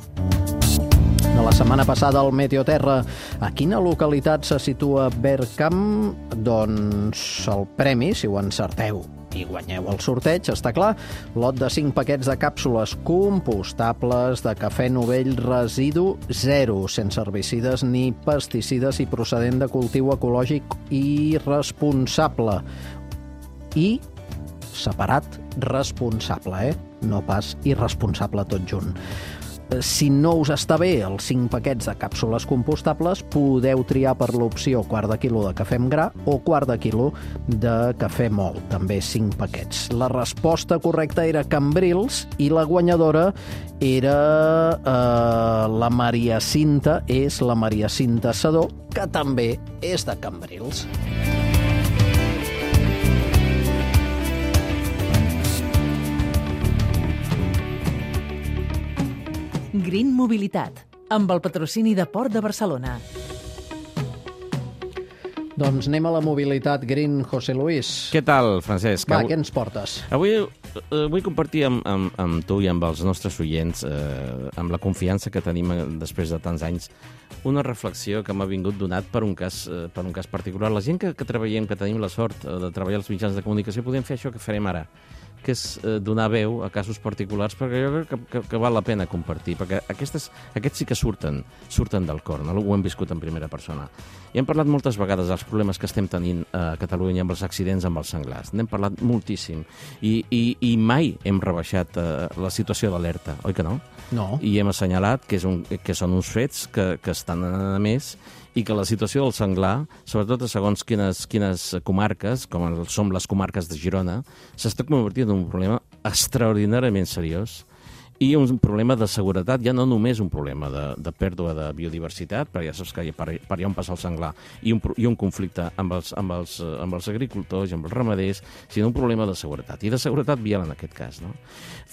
B: De la setmana passada al Meteoterra, a quina localitat se situa Bergkamp? Doncs el premi, si ho encerteu i guanyeu el sorteig, està clar, lot de 5 paquets de càpsules compostables de cafè Novell residu zero, sense herbicides ni pesticides i procedent de cultiu ecològic i responsable. I separat responsable, no pas irresponsable tot junt. Si no us està bé els 5 paquets de càpsules compostables, podeu triar per l'opció quart de quilo de cafè amb gra o quart de quilo de cafè mòlt, també 5 paquets. La resposta correcta era Cambrils i la guanyadora era la Maria Cinta, és la Maria Cinta Sedó, que també és de Cambrils.
C: Green Mobilitat, amb el patrocini de Port de Barcelona.
B: Doncs anem a la mobilitat Green, José Luis.
D: Què tal, Francesc?
B: Va, què ens portes?
D: Avui vull compartir amb tu i amb els nostres oients, amb la confiança que tenim després de tants anys, una reflexió que m'ha vingut donat per un cas particular. La gent que treballem, que tenim la sort de treballar als mitjans de comunicació, podem fer això que farem ara, que és donar veu a casos particulars, perquè jo crec que val la pena compartir, perquè aquests sí que surten del cor, no? Ho hem viscut en primera persona. I hem parlat moltes vegades dels problemes que estem tenint a Catalunya amb els accidents amb els senglars. N'hem parlat moltíssim. I mai hem rebaixat la situació d'alerta, oi que no?
B: No.
D: I hem assenyalat que són uns fets que estan a més, i que la situació del senglar, sobretot a segons quines comarques, com som les comarques de Girona, s'està convertint en un problema extraordinàriament seriós i un problema de seguretat, ja no només un problema de pèrdua de biodiversitat, perquè ja saps que per allà on passa el senglar, i un conflicte amb els agricultors i amb els ramaders, sinó un problema de seguretat, i de seguretat vial en aquest cas, no?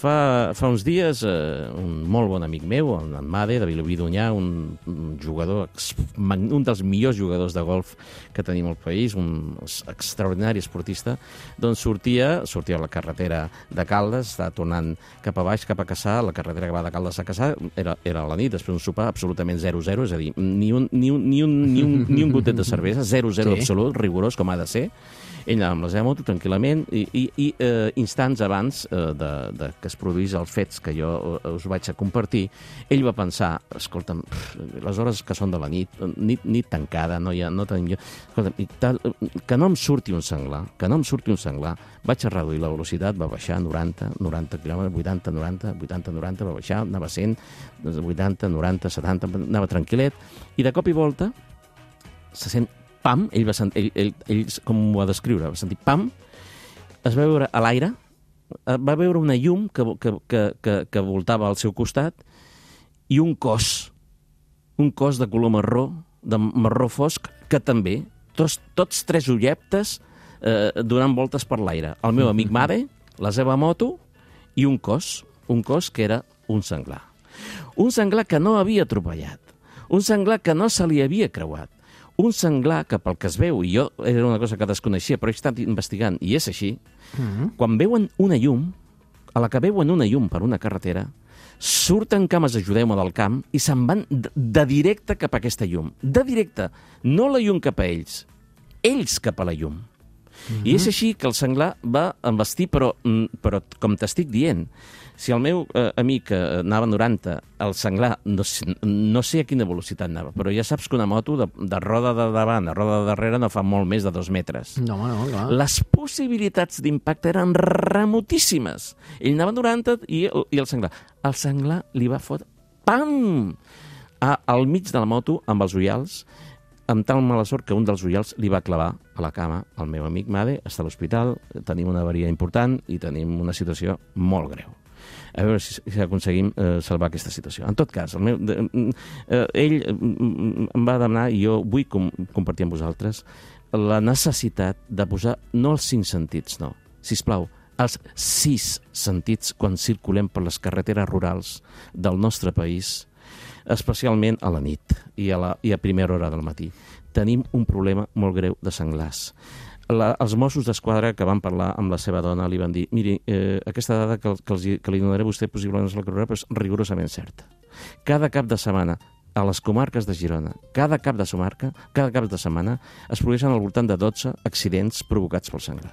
D: Fa uns dies, un molt bon amic meu, en Made, de Vilobí d'Onyar, un jugador, un dels millors jugadors de golf que tenim al país, un extraordinari esportista, doncs sortia a la carretera de Caldes, estava tornant cap a baix, cap a Cassà, la carretera que va de Caldes a Cassà, era a la nit, després d'un sopar absolutament 0-0, és a dir, ni un gotet de cervesa, 0-0 absolut, rigorós, com ha de ser. Ell anava amb la seva moto tranquil·lament i instants abans que es produís els fets que jo us vaig a compartir, ell va pensar, escolta'm, les hores que són de la nit tancada, no tenim... Escolta'm, que no em surti un senglar, vaig a reduir la velocitat, va baixar 90 km, 80, 90, 80, 90, va baixar, anava a 100, 80, 90, 70, anava tranquil·let, i de cop i volta se sent pam, ell com ho va descriure, va sentir pam, es va veure a l'aire, va veure una llum que voltava al seu costat i un cos un cos de color marró, de marró fosc, que també, tots 3 ulleptes donant voltes per l'aire. El meu amic Made, la seva moto i un cos que era un senglar. Un senglar que no havia atropellat, un senglar que no se li havia creuat, un senglar que, pel que es veu, i jo era una cosa que desconeixia, però he estat investigant, i és així, quan veuen una llum, a la que veuen una llum per una carretera, surten cames, ajudeu-me, del camp i se'n van de directe cap a aquesta llum. De directe, no la llum cap a ells cap a la llum. I és així que el senglar va envestir, però com t'estic dient, si el meu amic anava a 90, el senglar, no sé a quina velocitat anava, però ja saps que una moto de roda de davant a roda de darrere no fa molt més de 2 metres.
B: No, clar.
D: Les possibilitats d'impacte eren remotíssimes. Ell anava a 90 i el senglar li va fotre pam! Al mig de la moto, amb els ullals, amb tal mala sort que un dels ullals li va clavar a la cama. El meu amic Made està a l'hospital, tenim una avaria important i tenim una situació molt greu. A veure si aconseguim salvar aquesta situació. En tot cas, ell em va demanar, i jo vull compartir amb vosaltres, la necessitat de posar, no els 5 sentits, no, sisplau, els 6 sentits quan circulem per les carreteres rurals del nostre país, especialment a la nit i a primera hora del matí. Tenim un problema molt greu de senglars. Els Mossos d'Esquadra que van parlar amb la seva dona li van dir, miri, aquesta dada que li donaré a vostè possiblement no és la correcta, però és rigorosament certa. Cada cap de setmana a les comarques de Girona, cada cap de setmana es produeixen al voltant de 12 accidents provocats pel senglar.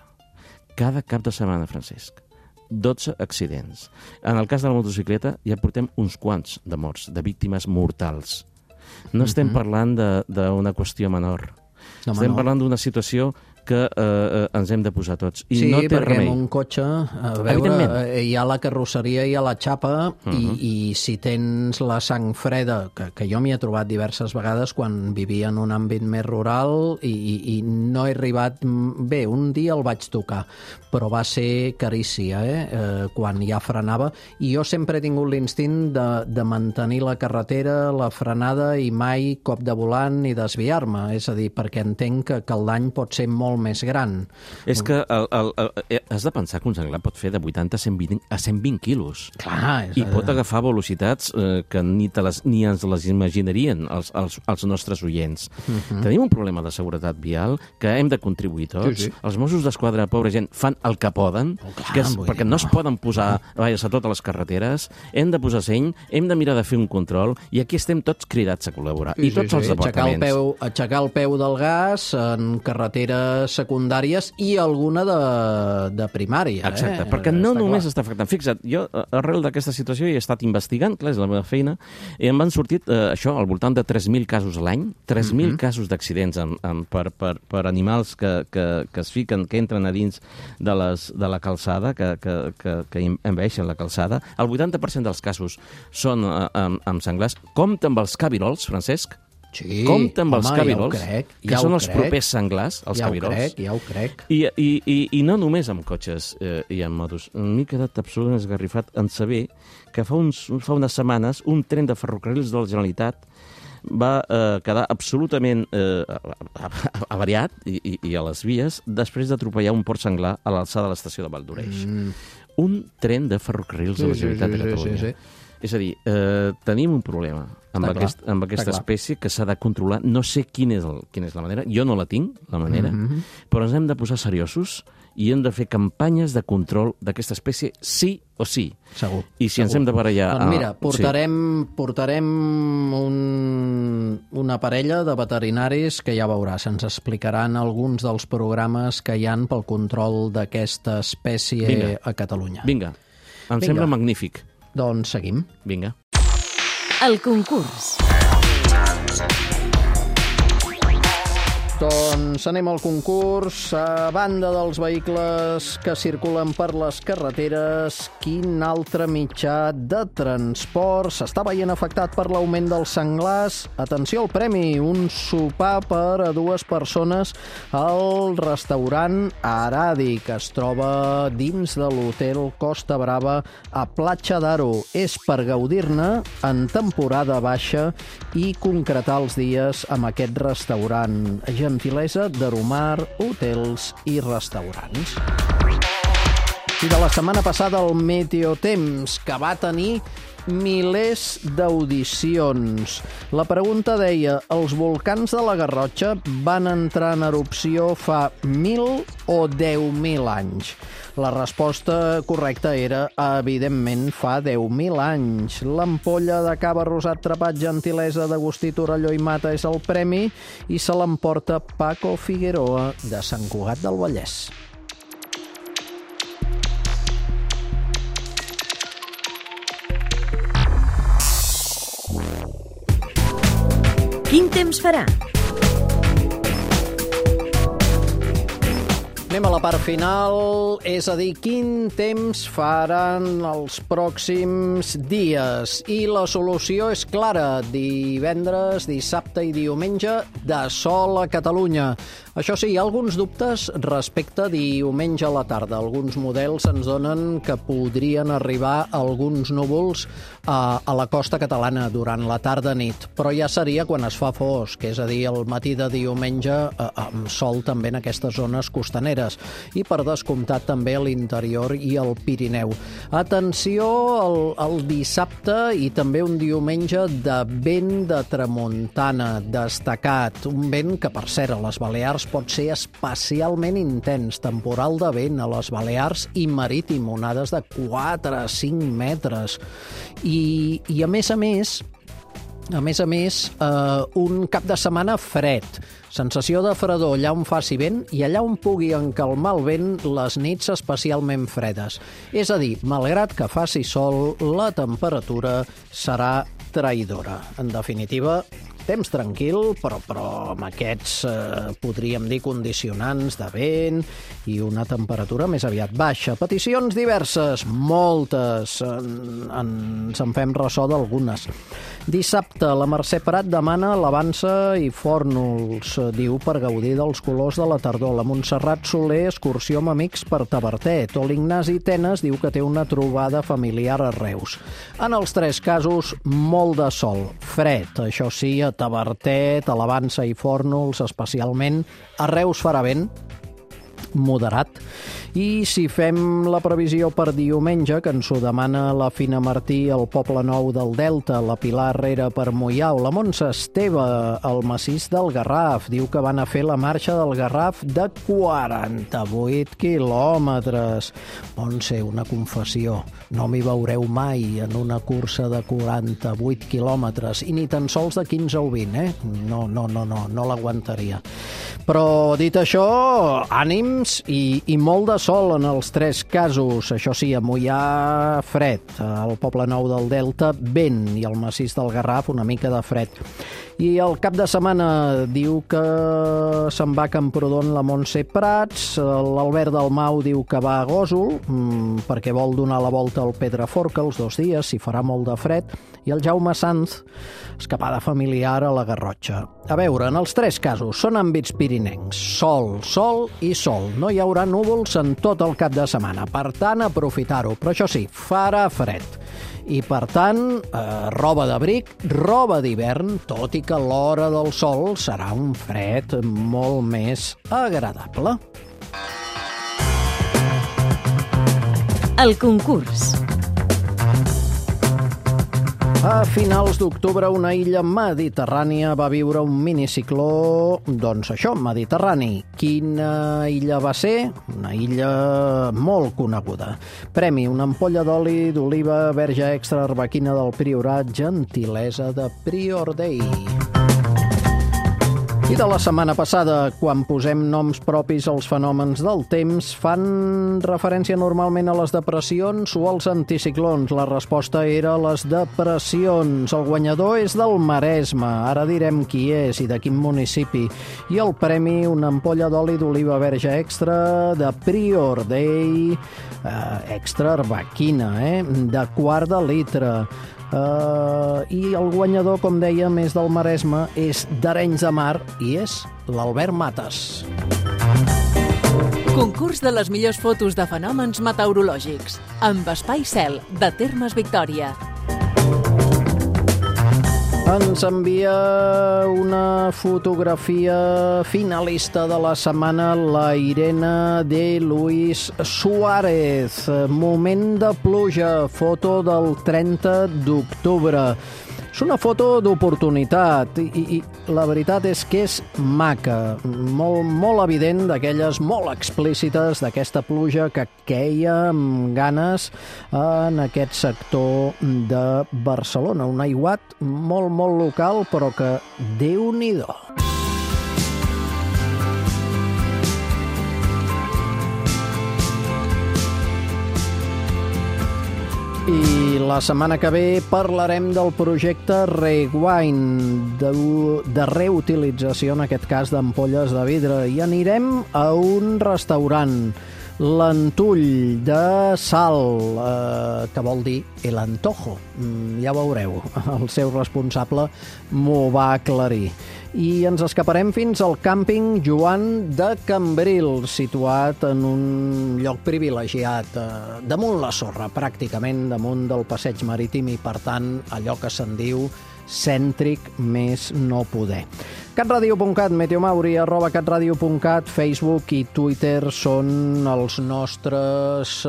D: Cada cap de setmana, Francesc. 12 accidents. En el cas de la motocicleta ja portem uns quants de morts, de víctimes mortals. No estem parlant d'una qüestió menor. Estem parlant d'una situació que ens hem de posar tots. I no té
B: perquè
D: remei.
B: en un cotxe, a veure, hi ha la carrosseria, hi ha la xapa, i si tens la sang freda, que jo m'hi he trobat diverses vegades quan vivia en un àmbit més rural i no he arribat... Bé, un dia el vaig tocar, però va ser carícia, quan ja frenava. I jo sempre he tingut l'instint de mantenir la carretera, la frenada, i mai cop de volant ni desviar-me. És a dir, perquè entenc que el dany pot ser molt més gran.
D: És que has de pensar que un senglar pot fer de 80 a 120 quilos.
B: Clar,
D: I pot agafar velocitats que ni ens les imaginarien els nostres oients. Tenim un problema de seguretat vial que hem de contribuir tots. Els Mossos d'Esquadra, pobra gent, fan el que poden, perquè no es poden posar a totes les carreteres, hem de posar seny, hem de mirar de fer un control, i aquí estem tots cridats a col·laborar. I tots els departaments.
B: Aixecar el peu del gas en carreteres secundàries i alguna de primària.
D: Exacte, perquè no només està afectant. Fixa't, jo arrel d'aquesta situació he estat investigant, clar, és la meva feina, i em van sortit això, al voltant de 3.000 casos a l'any, 3.000 casos d'accidents per animals que es fiquen, que entren a dins de la calçada, que envaeixen la calçada. El 80% dels casos són amb senglars. Compte amb els cabirols, Francesc.
B: Sí,
D: compte amb els cabirols,
B: que
D: són els propers senglars, els cabirols.
B: Ja ho crec.
D: I no només amb cotxes i amb motos. M'he quedat absolutament esgarrifat en saber que fa unes setmanes un tren de ferrocarrils de la Generalitat va quedar absolutament avariat i a les vies després d'atropellar un port senglar a l'alçada de l'estació de Valldoreix. Un tren de ferrocarrils de la Generalitat de Catalunya. Sí. És a dir, tenim un problema amb aquesta espècie que s'ha de controlar. No sé quina és la manera, jo no la tinc, la manera, però ens hem de posar seriosos i hem de fer campanyes de control d'aquesta espècie sí o sí.
B: Segur.
D: I si ens hem de barallar...
B: Doncs mira, portarem una parella de veterinaris que ja veuràs, ens explicaran alguns dels programes que hi han pel control d'aquesta espècie a Catalunya.
D: Vinga, em sembla magnífic.
B: Doncs seguim.
D: Vinga.
A: El concurs.
B: Doncs anem al concurs. A banda dels vehicles que circulen per les carreteres, quin altre mitjà de transport s'està veient afectat per l'augment dels senglars? Atenció al premi, un sopar per a 2 persones al restaurant Aradi, que es troba dins de l'hotel Costa Brava a Platja d'Aro. És per gaudir-ne en temporada baixa i concretar els dies amb aquest restaurant. Gentilesa d'Aromar Hotels i Restaurants. I de la setmana passada el Meteotemps, que va tenir milers d'audicions. La pregunta deia, els volcans de la Garrotxa van entrar en erupció fa 1.000 o 10.000 anys? La resposta correcta era, evidentment, fa 10.000 anys. L'ampolla de cava rosat trepat Gentilesa d'Agustí Torelló i Mata és el premi i se l'emporta Paco Figueroa de Sant Cugat del Vallès.
A: Quin temps farà?
B: Anem a la part final, és a dir, quin temps faran els pròxims dies. I la solució és clara, divendres, dissabte i diumenge, de sol a Catalunya. Això sí, hi ha alguns dubtes respecte a diumenge a la tarda. Alguns models ens donen que podrien arribar alguns núvols a la costa catalana durant la tarda-nit, però ja seria quan es fa fosc, és a dir, el matí de diumenge amb sol també en aquestes zones costaneres i per descomptat també a l'interior i al Pirineu. Atenció al dissabte i també un diumenge de vent de tramuntana destacat, un vent que per cert a les Balears pot ser especialment intens, temporal de vent a les Balears i marítim, onades de 4 a 5 metres. I a més, un cap de setmana fred, sensació de fredor allà on faci vent i allà on pugui encalmar el vent les nits especialment fredes. És a dir, malgrat que faci sol, la temperatura serà traïdora. En definitiva, temps tranquil, però amb aquests, podríem dir, condicionants de vent i una temperatura més aviat baixa. Peticions diverses, moltes, ens en fem ressò d'algunes. Dissabte, la Mercè Prat demana l'Avança i Fórnols, diu, per gaudir dels colors de la tardor. La Montserrat Soler, excursió amb amics per Tavertet. O l'Ignasi Tenes diu que té una trobada familiar a Reus. En els 3 casos, molt de sol, fred, això sí, a Tavertet, a l'Avança i Fórnols, especialment. A Reus farà vent moderat. I si fem la previsió per diumenge, que ens ho demana la Fina Martí al Poble Nou del Delta, la Pilar Herrera per Moià o la Montse Esteve al Massís del Garraf, diu que van a fer la marxa del Garraf de 48 quilòmetres. Montse, una confessió, no m'hi veureu mai en una cursa de 48 quilòmetres i ni tan sols de 15 o 20, no l'aguantaria. Però dit això, ànims i molt de sol en els 3 casos. Això sí, a Moià fred, al Poble Nou del Delta vent i al Massís del Garraf una mica de fred. I el cap de setmana diu que se'n va a Camprodon la Montse Prats, l'Albert Dalmau diu que va a Gósol perquè vol donar la volta al Pedraforca els 2 dies, si farà molt de fred, i el Jaume Sanz, escapada familiar a la Garrotxa. A veure, en els 3 casos són àmbits pirinencs, sol, sol i sol. No hi haurà núvols en tot el cap de setmana, per tant, aprofitar-ho. Però això sí, farà fred. I, per tant, roba d'abric, roba d'hivern, tot i que l'hora del sol serà un fred molt més agradable.
A: El concurs.
B: A finals d'octubre, una illa mediterrània va viure un minicicló, doncs això, mediterrani. Quina illa va ser? Una illa molt coneguda. Premi, una ampolla d'oli d'oliva verge extra arbequina del Priorat, Gentilesa de Prior Dei. I de la setmana passada, quan posem noms propis als fenòmens del temps, fan referència normalment a les depressions o als anticiclons. La resposta era les depressions. El guanyador és del Maresme. Ara direm qui és i de quin municipi. I el premi, una ampolla d'oli d'oliva verge extra de Prior Day, extra arbequina, de quart de litre. I el guanyador, com dèiem, és del Maresme, és d'Arenys de Mar i és l'Albert Mates.
C: Concurs de les millors fotos de fenòmens meteorològics amb Espai Cel, de Termes Victòria.
B: Ens envia una fotografia finalista de la setmana la Irene de Luis Suárez. Moment de pluja, foto del 30 d'octubre. És una foto d'oportunitat i la veritat és que és maca, molt evident, d'aquelles molt explícites d'aquesta pluja que queia amb ganes en aquest sector de Barcelona. Un aiguat molt local, però que Déu-n'hi-do. I la setmana que ve parlarem del projecte Rewind, de reutilització, en aquest cas, d'ampolles de vidre. I anirem a un restaurant, l'Antull de Sal, que vol dir el antojo. Ja veureu, el seu responsable m'ho va aclarir. I ens escaparem fins al càmping Joan de Cambrils, situat en un lloc privilegiat, damunt la sorra, pràcticament damunt del passeig marítim, i per tant allò que se'n diu cèntric més no poder. catradio.cat, Meteomauri, @catradio.cat, Facebook i Twitter són els nostres,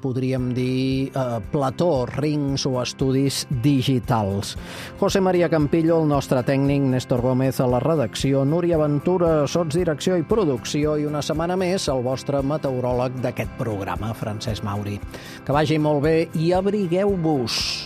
B: podríem dir, plató, rings o estudis digitals. José María Campillo, el nostre tècnic, Néstor Gómez a la redacció, Núria Ventura, sotsdirecció i producció, i una setmana més el vostre meteoròleg d'aquest programa, Francesc Mauri. Que vagi molt bé i abrigueu-vos.